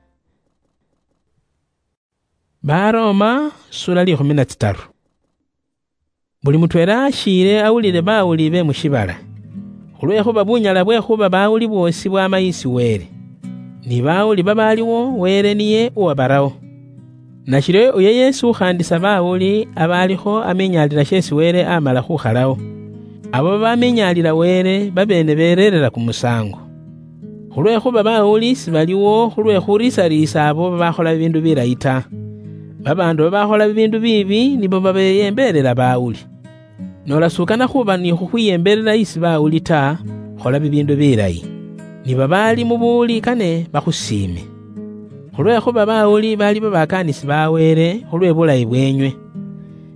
Baroma, sura likhumi na tsitaru. Buli mutweela ashiile awulile bawuli be mushibala, khulwekhuba bunyala bwekhuba bawuli bwosi bwama isi Wele. Ni bawuli babaliwo, Wele niye uwabarawo. Nashiryo uyo Yesu ukhandisa bawuli aba alikho amenyalila shesi Wele amala khukhalawo. Abo babamenyalila Wele babeene bereerera kumusango. Khulwekhuba bawuli sibaliwo khulwe khurisariisa abo babakhola bibindu bilayi ta. Babaandu babakhola bibindu biibi nibo babeyembelela bawuli. Nola sukana khuba ni khukhwiyembelela isi bawuli ta, khola bibindu bilayi. Ni babaali mu buwuli kane bakhusiime. Khulwekhuba bawuli bali babakaanisi ba Wele khulwe bulayi bwenywe.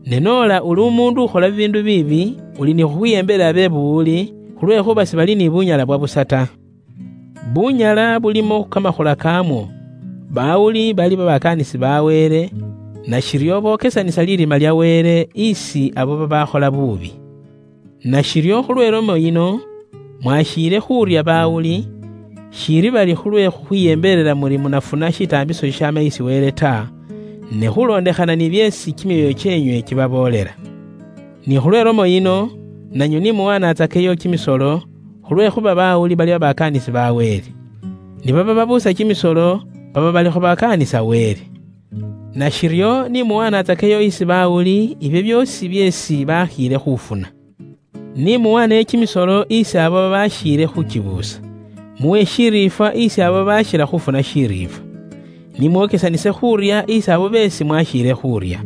Ne nola uli umundu ukhola bibindu biibi, uli ni khukhwiyembelela be buwuli, khulwekhuba sibali ni bunyala bwa busa ta. Bunyala bulimo kamakhula kamwo. Bawuli bali babakaanisi ba Wele, nashiryo bokesanisa lirima lya Wele isi abo babakhola buubi. Nashiryo khulwe lomo yino, mwashiile khuurya bawuli, shiili bali khulwe khukhwiyembelela muri munafuna shitaambiso shishaama isi Wele ta, ne khulondekhana ni byeesi kimyoyo kyenywe kibaboolela. Ni khulwe lomo yino, nanywe ni muwanaatsakeyo kimisolo, khulwekhuba bawuli bali babakaanisi ba Wele. Nibaba babuusa kimisolo, baba balikho bakaanisa Wele. Nashiryo ni muwanaatsakeyo isi bawuli ibyo byoosi byeesi bakhiile khufuna. Ni muwaneyo kimisolo isi abo babashiile khukibuusa. Muwe shiriifwa isi abo babashila khufuna shiriifwa. Ni mwokesanise khuurya isi abo beesi mwashiile khuurya.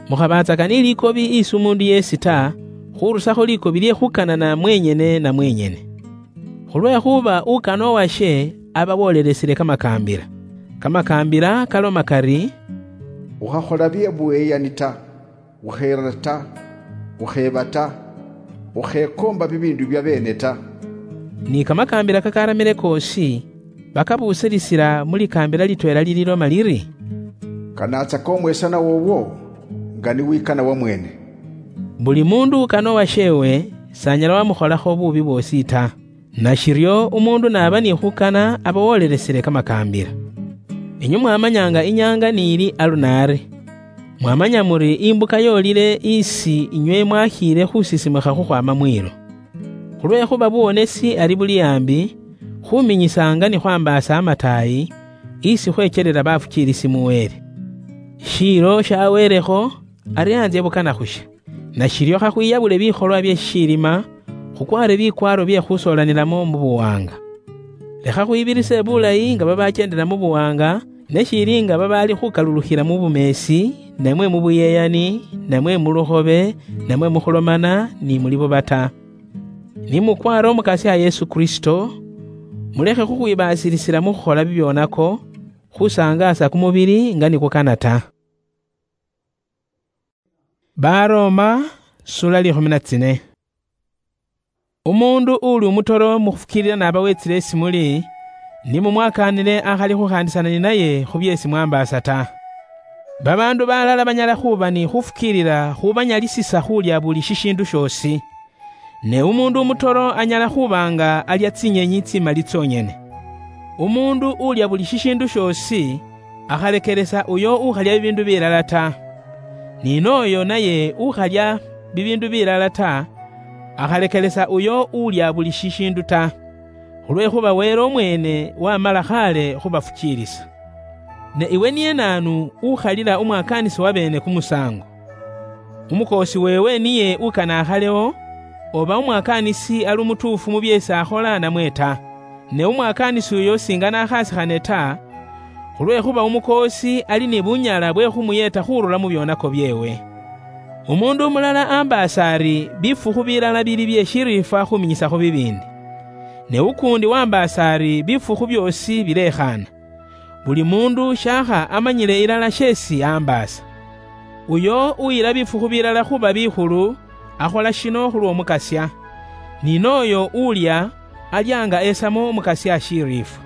Mukhabatsaka ni likobi isi umundu yeesi ta, khurusakho likobi lye khukanana mwenyene na mwenyene. Khulwekhuba ukana owashe aba wolelesile kamakaambila. Kamakaambila kaloma kari, "Ukhakhola bye buweyani ta, ukheera ta, ukheeba ta, ukhekoomba bibiindu bya beene ta." Ni kamakaambila kakaramile koosi, bakabuusilisila mu likaambila litweela lililoma liri, "Kanatsaka omwesanwa wowo nga niwikana wamweene." Buli mundu ukana owasheewe, sanyala wamukholakho buubi bwoosi ta. Nashiryo umundu naba ni khukana, aba wolelesile kamakaambila. Inywe mwamanyanga inyaanga niili alunaari. Mwamanya muri imbuka yoolile isi inywe mwakhiile khusisimukha khukhwama mwiilo. Khulwekhuba buwonesi ari buli ambi, khuminyisanga ni khwambaasa amataayi, isi khwechelela bafukiilisi mu Wele. Shiilo shaweelekho, ari anzye bukana khushe. Nashiryo khakhwiyabule bikholwa bye shishilima, khukwaare bikwaaro bye khusoolanilamo mu buwaanga. Lekha khwibirise bulayi nga babachendela mu buwaanga, ne shiili nga babaali khukalulukhila mu bumeesi, namwe mu buyeyani, namwe mu lukhobe, namwe mu khulomana ni mu libuba ta. Ni mukwaare Umukasya Yesu Kristo, mulekhe khukhwibaasilisila mu khukhola bibyonako, khusangaasa kumubili nga nikukana ta. Baroma, sura likhumi na tsine. Umundu uli umutoro mukhufukilila naba wetsile isi muli, ni mumwakaanile akhali khukhaandisana ninaye khu byeesi mwambaasa ta. Babaandu balala banyala khuba ni khufukiilila khubanyalisisa khulya buli shishiindu shoosi. Ne umuundu umutoro anyala khuba nga alya tsinyenyi tsimali tsonyene. Umuundu ulya buli shishiindu shoosi, akhalekelesa uyo ukhalya bibiindu bilala ta. Ni nooyo naye ukhalya bibiindu bilala ta, akhalekelesa uyo ulya buli shishiindu ta, khulwekhuba Wele umweene wamala khaale khubafukiilisa. Ne iwe niye naanu ukhalila umwakaanisi wabeene kumusaango? Umukoosi weewe niye ukana akhalewo, oba umwakaanisi ali umutuufu mu byeesi akhola namwe ta. Ne umwakaanisi uyo singana akhasikhane ta, khulwekhuba umukoosi ali ni bunyala bwe khumuyeeta khurula mu byonako byeewe. Umuundu umulala ambaasa ari bifukhu bilala bili bye shiriifwa khuminyisakho bibiindi, ne ukuundi wambaasa ari bifukhu byoosi bilekhaana. Buli muundu shaakha amanyile ilala sheesi ambaasa. Uyo uyila bifukhu bilala khuba bikhulu, akhola shino khulw'Omukasya. Ni nooyo ulya, alya nga esamo Omukasya shiriifwa.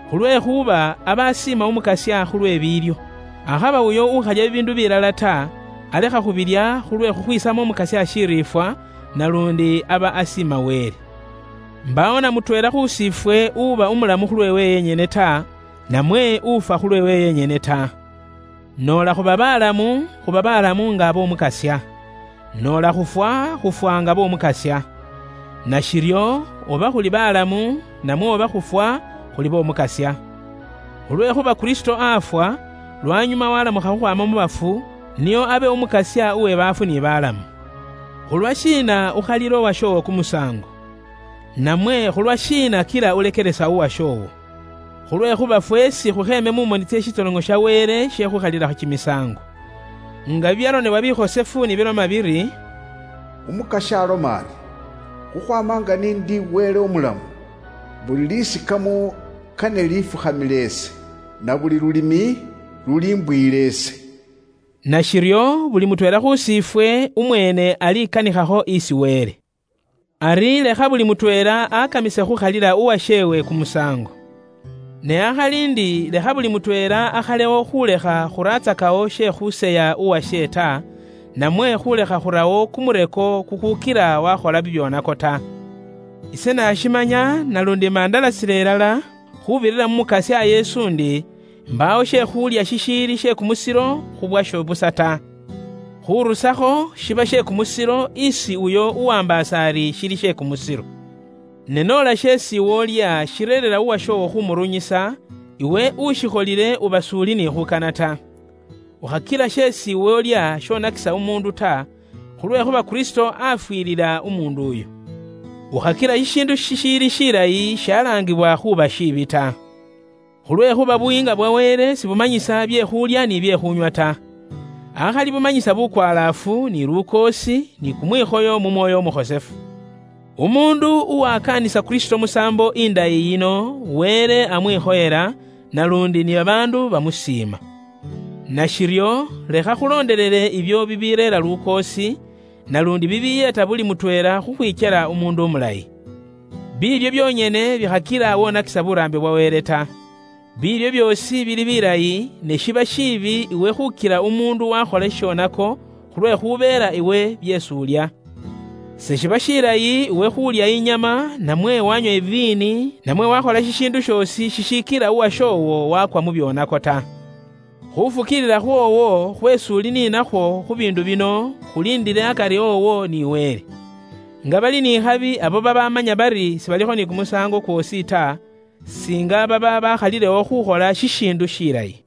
Khulwekhuba aba asiima Omukasya khulw'ebiilyo. Akhaba uyo ukhalya bibiindu bilala ta, alekha khubilya khulwe khukhwisamo Omukasya shiriifwa, nalundi aba asiima Wele. Mbawo na mutweela khu sifwe uba umulamu khulwewe yenyene ta, namwe ufa khulwewe yenyene ta. Nola khuba balamu, khuba balamu nga ab'Omukasya. Nola khufwa, khufwa nga b'Omukasya. Nashiryo, oba khuli balamu, namwe oba khufwa, khuli b'Omukasya. Khulwekhuba Kristo afwa, lwanyuma walamukha khukhwama mu bafu, nio abe Omukasya uwe baafu ni balamu. Khulwa shiina ukhalila owashoowo kumusaango? Namwe khulwa shiina kila ulekelesa owashoowo? Khulwekhuba fwesi khukheeme mu moni tsie shitolong'o sha Wele she khukhalilakho kimisaango. Nga bibyaronebwa bikhosefu ni biloma biri, Umukasya aloma ari, khukhwama nga nindi Wele umulamu, buli lisikamo kane lifukhamile ese, na buli lulimi lulimbwile ese. Nashiryo, buli mutweela khu sifwe umweene alikanikhakho isi Wele. Ari lekha buli mutweela akamise khukhalila uwasheewe kumusaango. Ne akhali ndi, lekha buli mutweela akhalewo khulekha khuraatsakawo she khuseya uwashe ta, namwe khulekha khurawo kumureko kukhukila wakhola bibyonako ta. Ise nashimanya, nalundi mandalasila ilala, khubirira mu Mukasya Yesu ndi, mbawo she khulya shishiili she kumusilo khubwasho busa ta. Khurusakho shiba she kumusilo isi uyo uwambaasa ari shili she kumusilo. Ne nola sheesi iwe olya shireerera uwashoowo khumurunyisa, iwe ushikholile uba suuli ni khukana ta. Ukhakila sheesi iwe olya shonakisa umuundu ta, khulwekhuba Kristo afwilila umuundu uyo. Ukhakila shishiindu shishiili shilayi shalaangibwa khuuba shiibi ta. Khulwekhuba buyiinga bwa Wele sibumanyisa bye khulya ni bye khunywa ta. Akhali bumanyisa bukwalaafu, ni lukoosi, ni kumwikhoyo mu Mwoyo Umukhosefu. Umuundu uwakaanisa Kristo musaambo indayi yino, Wele amwikhoyela, nalundi ni babaandu bamusiima. Nashiryo, lekha khuloondelele ibyo bibireera lukoosi, nalundi bibiyeeta buli mutweela khukhwikyela umuundu umulayi. Biilyo byonyene bikhakila wonakisa buraambi bwa Wele ta. Biilyo byoosi bili bilayi, ne shiba shiibi iwe khukila umuundu wakhola shishonako, khulwekhubeela iwe byeesi ulya. Seshiba shilayi iwe khulya inyama, namwe wanywa iviini, namwe wakhola shishiindu shoosi shishikila uwashoowo wakwa mu byonako ta. Khufukiilila khwoowo khweesi uli ninakhwo khu biindu bino, khuliindile akari woowo ni Wele. Nga bali n'ikhabi abo babamanya bari sibalikho ni kumusaango kwoosi ta, singa baba bakhalilewo khukhola shishiindu shilayi.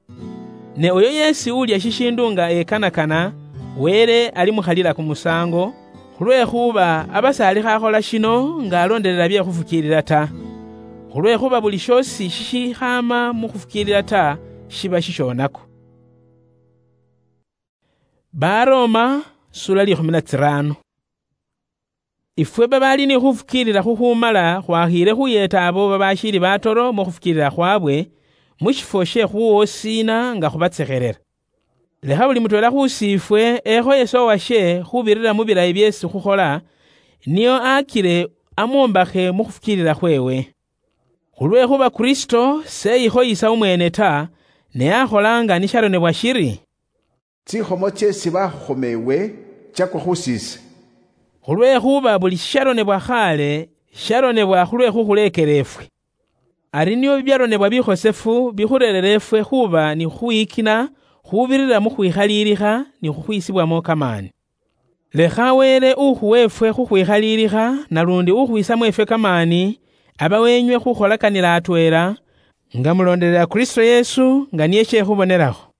Ne uyo yeesi ulya shishiindu nga ekanakana, Wele alimukhalila kumusaango, khulwekhuba aba s'alikho akhola shino nga alondelela bye khufukiilila ta. Khulwekhuba buli shoosi shishikhaama mu khufukiilila ta, shiba shishonako. Baroma, sura likhumi na tsirano. Ifwe babaali ni khufukiilila khukhumala khwakhiile khuyeeta abo babashiili batoro mu khufukiilila khwabwe, mu shifwo she khuwosiina nga khubatsekhelela. Lekha buli mutweela khusiifwe ekhoyese owashe khubirira mu bilayi byeesi khukhola, nio akile amwombakhe mu khufukiilila khweewe. Khulwekhuba Kristo seyikhoyisa umweene ta, ne akhola nga ni sharonebwa shiri, tsikhomo tseesi bakhukhoma ewe tsakwa khu siise. Khulwekhuba buli shisharonebwa khaale, sharonebwa khulwe khukhuleekela efwe. Ari nio bibyaronebwa bikhosefu bikhureerera efwe khuba ni khukhwiyikina khubirira mu khwikhaliilikha ni khukhwiisibwamo kamaani. Lekha Wele ukhuwa efwe khukhwikhaliilikha, nalundi ukhwiisamo efwe kamaani, aba wenywe khukholakhanila atweela, nga muloondelela Kristo Yesu nga niye shekhubonelakho.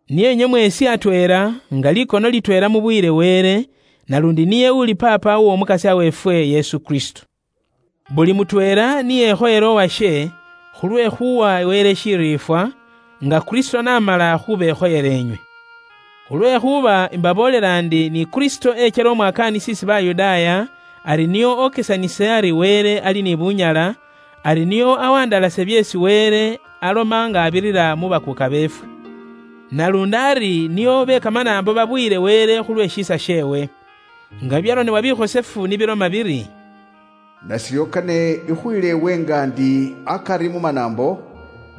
Niye inywe mweesi atweela, nga likono litweela mubuyile Wele, nalundi niye uli Paapa w'Omukasya weefwe Yesu Kristo. Buli mutweela niyekhoyela owashe, khulwe khuwa Wele shiriifwa, nga Kristo n'amala khubekhoyela enywe. Khulwekhuba imbaboolela ndi ni Kristo echela omwakaanisi isi Bayudaaya, ari nio okesanise ari Wele ali ni bunyala, ari nio awandalase byeesi Wele aloma nga abirira mu bakuuka beefwe. Nalundi ari nio be kamanaambo babuyile Wele khulwe shiisa sheewe. Nga byaronebwa bikhosefu nibiloma biri, nashiryo kane ikhuyile ewe nga ndi akari mu manaambo,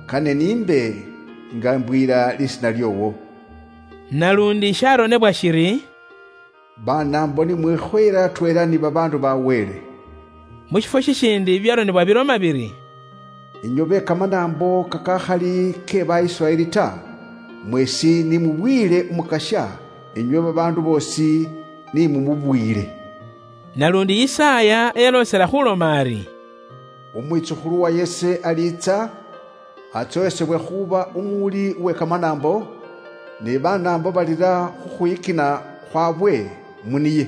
kane niimbe nga mbwiira lisiina lyoowo. Nalundi sharonebwa shiri, banaambo nimwikhoyele atweela ni babaandu ba Wele. Mushifwo shishindi byaronebwa biloma biri, "Inywe be kamanambo kakakhali ke Baisraeli ta, mwesi ni mubwile Umukasya, inywe babandu bosi ni mumubwile." Nalundi Isaya yalosela khuloma ari, "Umwitsukhulu wa Yese aliitsa, atsohesebwe khuba umuuli uwe kamanambo, ni banaambo balira khukhwikina khwabwe muniye."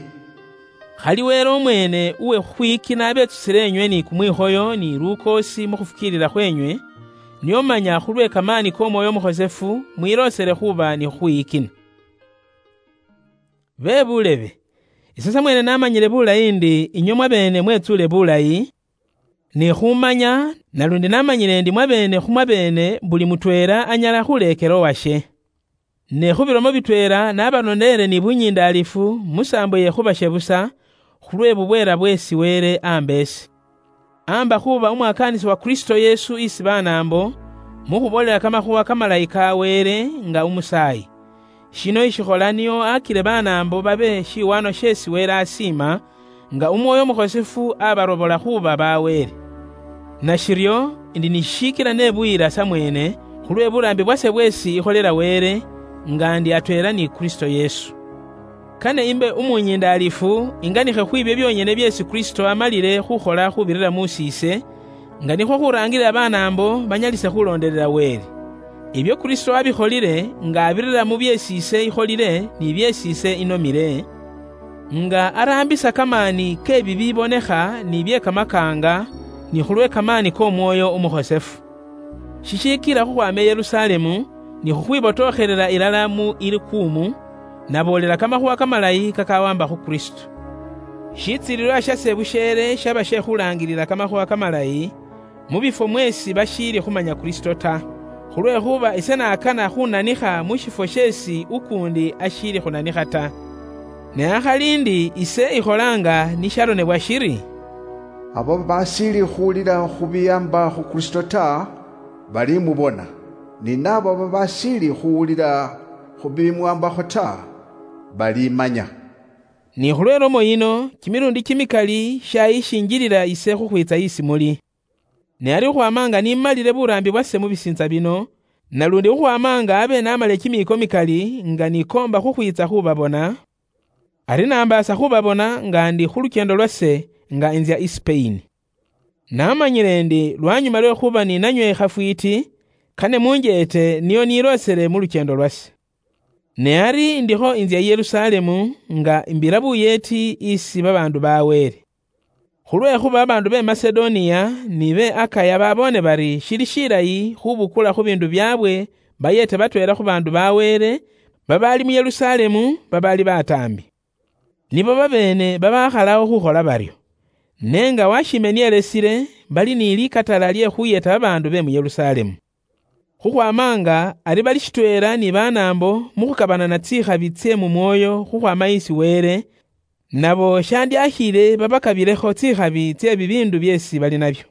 Khali Wele omwene uwe khukhwikina abetsusile enywe ni kumwikhoyo ni lukoosi mukhufukiilila khwenywe, niye omanya khulwe kamaani k'Omwoyo Omukhosefu mwiloosele khuba ni khukhwiyikina. Be bulebe, ise samwene namanyile bulayi ndi inywe mwabeene mwetsule bulayi, ni khumanya, nalundi namanyile ndi mwabeene khumwabeene buli mutweela anyala khuleekela owashe. Ne khubilomo bitweela nabalondeele ni bunyindaalifu musaambo yekhubashe busa, khulwe bubweela bweesi Wele amba ise. Amba khuba umwakaanisi wa Kristo Yesu isi banaambo, mukhuboolela kamakhuwa kamalayi ka Wele nga umusaayi. Shino ishikhola niyo akile banaambo babe shiwaano sheesi Wele asiima, nga Umwoyo Umukhosefu abarobola khuba ba Wele. Nashiryo, ndi ni shishiikila nebuyila samweene, khulwe buraambi bwase bweesi ikholela Wele, nga ndi atweela ni Kristo Yesu. Kane imbe umunyindaalifu, inganikhe khwibyo byonyene byeesi Kristo amalile khukhola khubirira musiise, nga nikhwo khuraangilila banaambo banyalise khulondelela Wele. Ibyo Kristo abikholile nga abirira mu byeesi ise ikholile ni byeesi ise inomile, nga araambisa kamaani ke bibibonekha ni bye kamakaanga, ni khulwe kamaani k'Omwoyo Umukhosefu. Shishiikila khukhwaama i Yerusalemu, ni khukhwibotookhelela ilala mu Ilikuumu, naboolela kamakhuwa kamalayi kakawamba khu Kristo. Shitsiililwa shase busheele shaba she khulaangilila kamakhuwa kamalayi, mu bifwo mweesi bashiili khumanya Kristo ta, khulwekhuba ise nakana khunanikha mu shifwo sheesi ukuundi ashiili khunanikha ta. Ne akhali ndi ise ikholanga ni sharonebwa shiri, "Abo babashiili khuwulila khu biyaamba khu Kristo ta, balimubona, ni naabo babashiili khuwulila khu bimwambakho ta, balimanya." Ni khulwe lomo yino, kimilundi kimikali shayishinjilila ise khukhwitsa isi muli. Ne ari khukhwama nga nimalile buraambi bwase mu bisiintsa bino, nalundi khukhwama nga abe namale kimiiko mikali nga nikoomba khukhwiitsa khubabona, ari nambaasa khubabona nga ndi khu lukyendo lwase nga inzya i Sipeyini. Namanyile ndi lwanyuma lwe khuba ninanywe khafwiiti, kane munjeete niyo niloosele mu lukyendo lwase. Ne ari ndikho inzya i Yerusalemu nga imbira buyeeti isi babaandu ba Wele. Khulwekhuba babaandu be Masedoniya ni be Akaya baboone bari shili shilayi khubukula khu biindu byaabwe, bayeete batweela khu baandu ba Wele babaali mu Yerusalemu babaali bataambi. Nibo babeene babakhalao khukhola baryo. Ne nga washiime niyelesile, bali ni likatala lye khuyeeta babaandu be mu Yerusalemu. Khukhwama nga ari bali shitweela ni banaambo mu khukabanana tsikhabi tsye mu mwoyo khukhwama isi Wele, nabo shandyakhiile babakabilekho tsikhabi tsye bibiindu byeesi bali nabyo.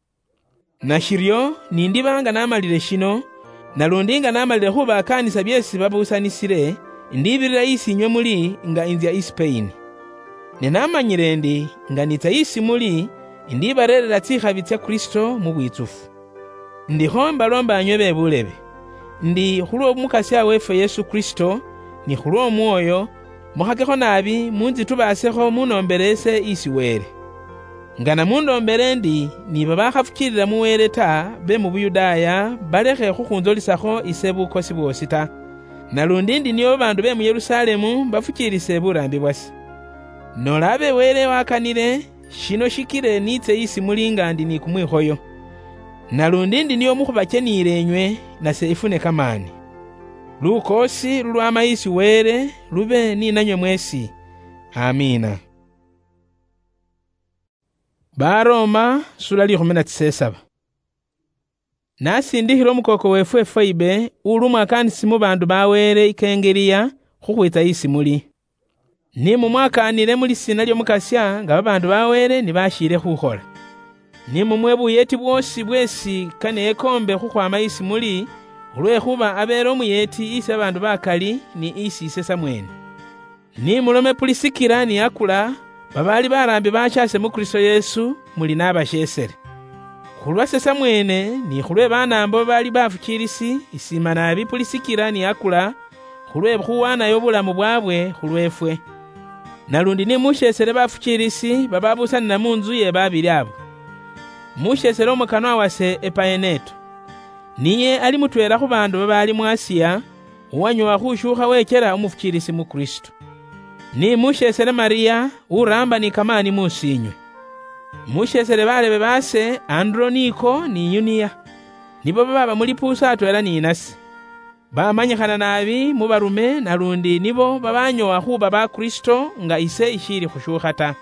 Nashiryo, nindiba nga namalile shino, nalundi nga namalile khubakaanisa byeesi babusanisile, indibirira isi inywe muli nga inzya i Sipeyini. Ne namanyile ndi nga niitsa isi muli, indibareerera tsikhabi tsya Kristo mu bwitsufu. Ndikho mbaloomba inywe be bulebe, ndi khulw'Omukasya weefwe Yesu Kristo, ni khulw'Omwoyo, mukhakekho naabi munzitubaasekho munoombeleese isi Wele. Nga namundoombele ndi ni babakhafukiilila mu Wele ta be mu Buyudaaya balekhe khukhunzolisakho ise bukosi bwoosi ta. Nalundi ndi nio babaandu be mu Yerusalemu bafukiilise buraambi bwase. Noola abe Wele wakanile, shino shikile niitse isi muli nga ndi ni kumwikhoyo. Nalundi ndi nio mukhubacheniile inywe, nase ifune kamaani. Lukoosi lulwama isi Wele lube ni nanywe mweesi. Amiina. Baroma, sura likhumi na tsisesaba. Nasindikhile umukooko weefwe Foibe, uli umwakaanisi mu baandu ba Wele i Kengeliya, khukhwiitsa isi muli. Ni mumwakaanile mu lisiina ly'Omukasya nga babaandu ba Wele ni bashiile khukhola. Ni mumuwe buyeeti bwoosi bweesi kane yekoombe khukhwaama isi muli, khulwekhuba abeele umuyeeti isi babaandu bakali ni isi ise samweene. Ni mulome Pulisikila ni Akula, Babaali baraambi bashase mu Kristo Yesu, muli nabasheesere. Khulwase samweene, ni khulwe banaambo babaali bafukiirisi, isiima naabi Pulisikira ni Akula, khulwe khuwaanayo obulamu bwaabwe khulweefwe. Nalundi ni musheesere bafukiirisi bababusanira mu ntsu ye babili abo. Musheesere omukanwa wase Epaeneto. Niye ali mutweela khu baandu babaali mu Asiya, uwanyoowa khushuukha wechela umufukiirisi mu Kristo. Ni musheesere Mariya, uraamba ni kamaani muusiinywe. Musheesere baleebe baase Anduroniko ni Yuniya, nibo babaaba mu lipuusa atweela ni nase. Bamanyikhana naabi mu barume, nalundi nibo babanyoowa khuuba ba Kristo nga ise ishiili khushuukha ta.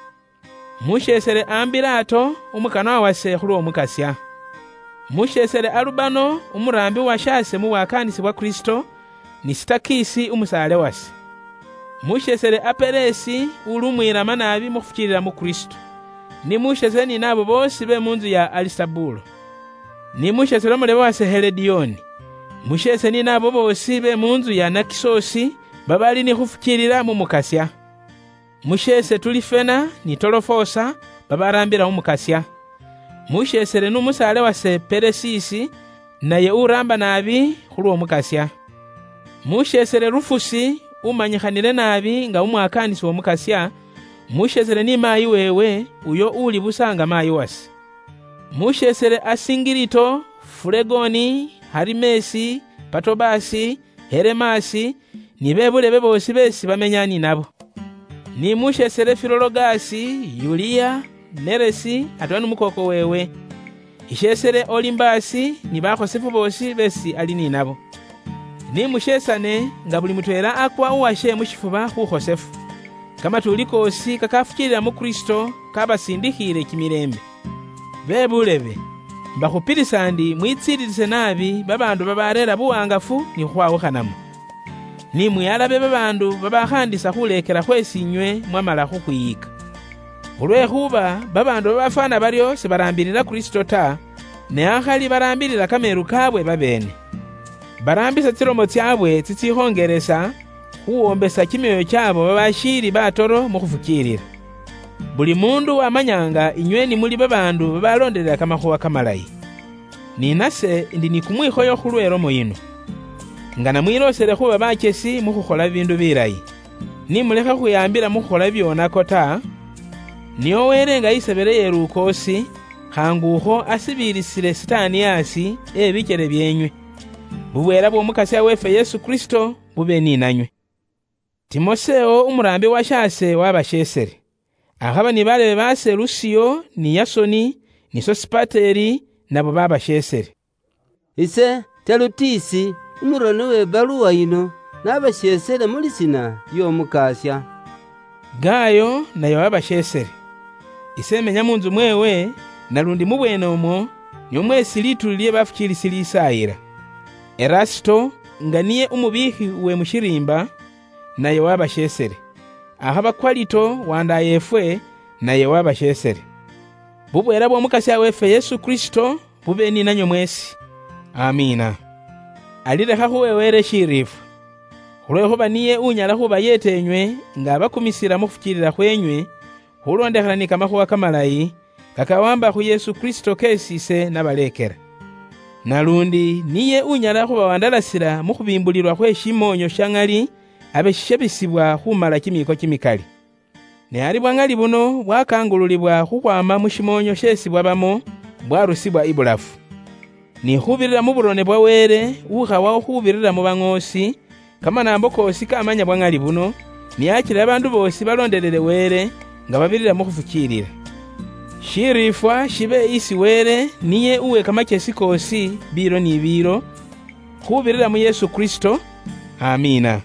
Musheesere Ambirato, umukanwa wase khulw'Omukasya. Musheesere Alubano, umuraambi washase mu bwakaanisi bwa Kristo, ni Sitakisi, umusaale wase. Musheesere Aperesi, uli umwiirama naabi mu khufukiilila mu Kristo. Ni musheesere ni naabo boosi be mu ntsu ya Alisabulo. Ni musheesere umulebe wase Heledioni. Musheese ni naabo boosi be mu ntsu ya Nakisosi, babali ni khufukiilila mu Mukasya. Musheese Tulifena ni Tolofosa, babaraambila Umukasya. Musheesele nu musaale wase Peresisi, naye uraamba naabi khulw'Omukasya. Musheesele Rufusi, umanyikhanile naabi nga umwakaanisi w'Omukasya, musheesele ni maayi weewe, uyo uli busa nga maayi wase. Musheesele Asingirito, Fulegoni, Harimesi, Patobasi, Heremasi, ni be bulebe boosi beesi bamenya ni nabo. Ni musheesele Filologasi, Yuliya, Neresi, atweela nu mukooko weewe. Isheesele Olimbasi ni bakhosefu boosi beesi ali ni nabo. Ni musheesane nga buli mutweela akwa uwashe mu shifuba khukhosefu. Kamatuuli koosi kakafukiilila mu Kristo kabasindikhiile kimileembe. Be bulebe, mbakhupilisa ndi mwitsiililise naabi babaandu babareera buwaangafu ni khukhwawukhanamo. Ni mwihalabe babaandu babakhaandisa khuleekela khweesi inywe mwamala khukhwiyiika. Khulwekhuba babaandu babafwana baryo sibaraambilila Kristo ta, ne akhali baraambilila kameelu kaabwe babeene. Baraambisa tsilomo tsyaabwe tsitsikhongelesa khuwombesa kimyoyo kyaabo babashiili batoro mu khufukiilila. Buli muundu wamanyanga inywe ni muli babaandu babaloondelela kamakhuwa kamalayi. Ni nase ndi ni kumwikhoyo khulwe lomo yino. Nga namwiloosele khuba bachesi mu khukhola bibiindu bilayi, ni mulekhe khwihaambila mu khukhola bibyonako ta, nio Wele nga isebele ye lukoosi, khaangukho asibiilisile Sitaani asi e bikyele byeenywe. Bubweela bw'Omukasya weefwe Yesu Kristo bube ni nanywe. Timoseo umuraambi wa shaase wabasheesele. Akhaba ni baleebe baase Lusio, ni Yasoni, ni Sosipateri, nabo babasheesele. Ise Terutisi, umuroni w'ebaluwa yino, nabasheesele mu lisiina ly'Omukasya. Gayo naye wabasheesele. Ise menya mu ntsu mweewe, nalundi mu bweene omwo, nimwo mweesi lituuli lye bafukiilisi lisaayila. Erasito, nga niye umubiikhi uwe mu shiriimba, naye wabasheesele. Akhaba Kwalito, wandaayeefwe, naye wabasheesele. Bubweela bw'Omukasya weefwe Yesu Kristo bube ni nanywe mweesi. Amiina. Ali lekha khuwe Wele shiriifwa, khulwekhuba niye unyala khubayeeta enywe nga abakumisila mu khufukiilila khweenywe, khulondekhana ni kamakhuwa kamalayi, kakawamba khu Yesu Kristo keesi ise nabaleekela. Nalundi niye unyala khubawandalasila mu khubimbulilwa khwe shimoonyo sha ŋali, abe shishebisibwa khumala kimiiko kimikali. Ne ari bwa ŋali buno bwakangululibwa khukhwama mu shimoonyo sheesi bwabamo, bwarusibwa ibulafu. Ni khubirira mu burone bwa Wele, ukhawaho khubirira mu baŋoosi, kamanaambo koosi kamanya bwa ŋali buno, ni achile babaandu boosi baloondelele Wele, nga babirira mu khufukiilila. Shiriifwa shibe isi Wele, niye uwe kamachesi koosi, biilo ni biilo, khubirira mu Yesu Kristo. Amiina.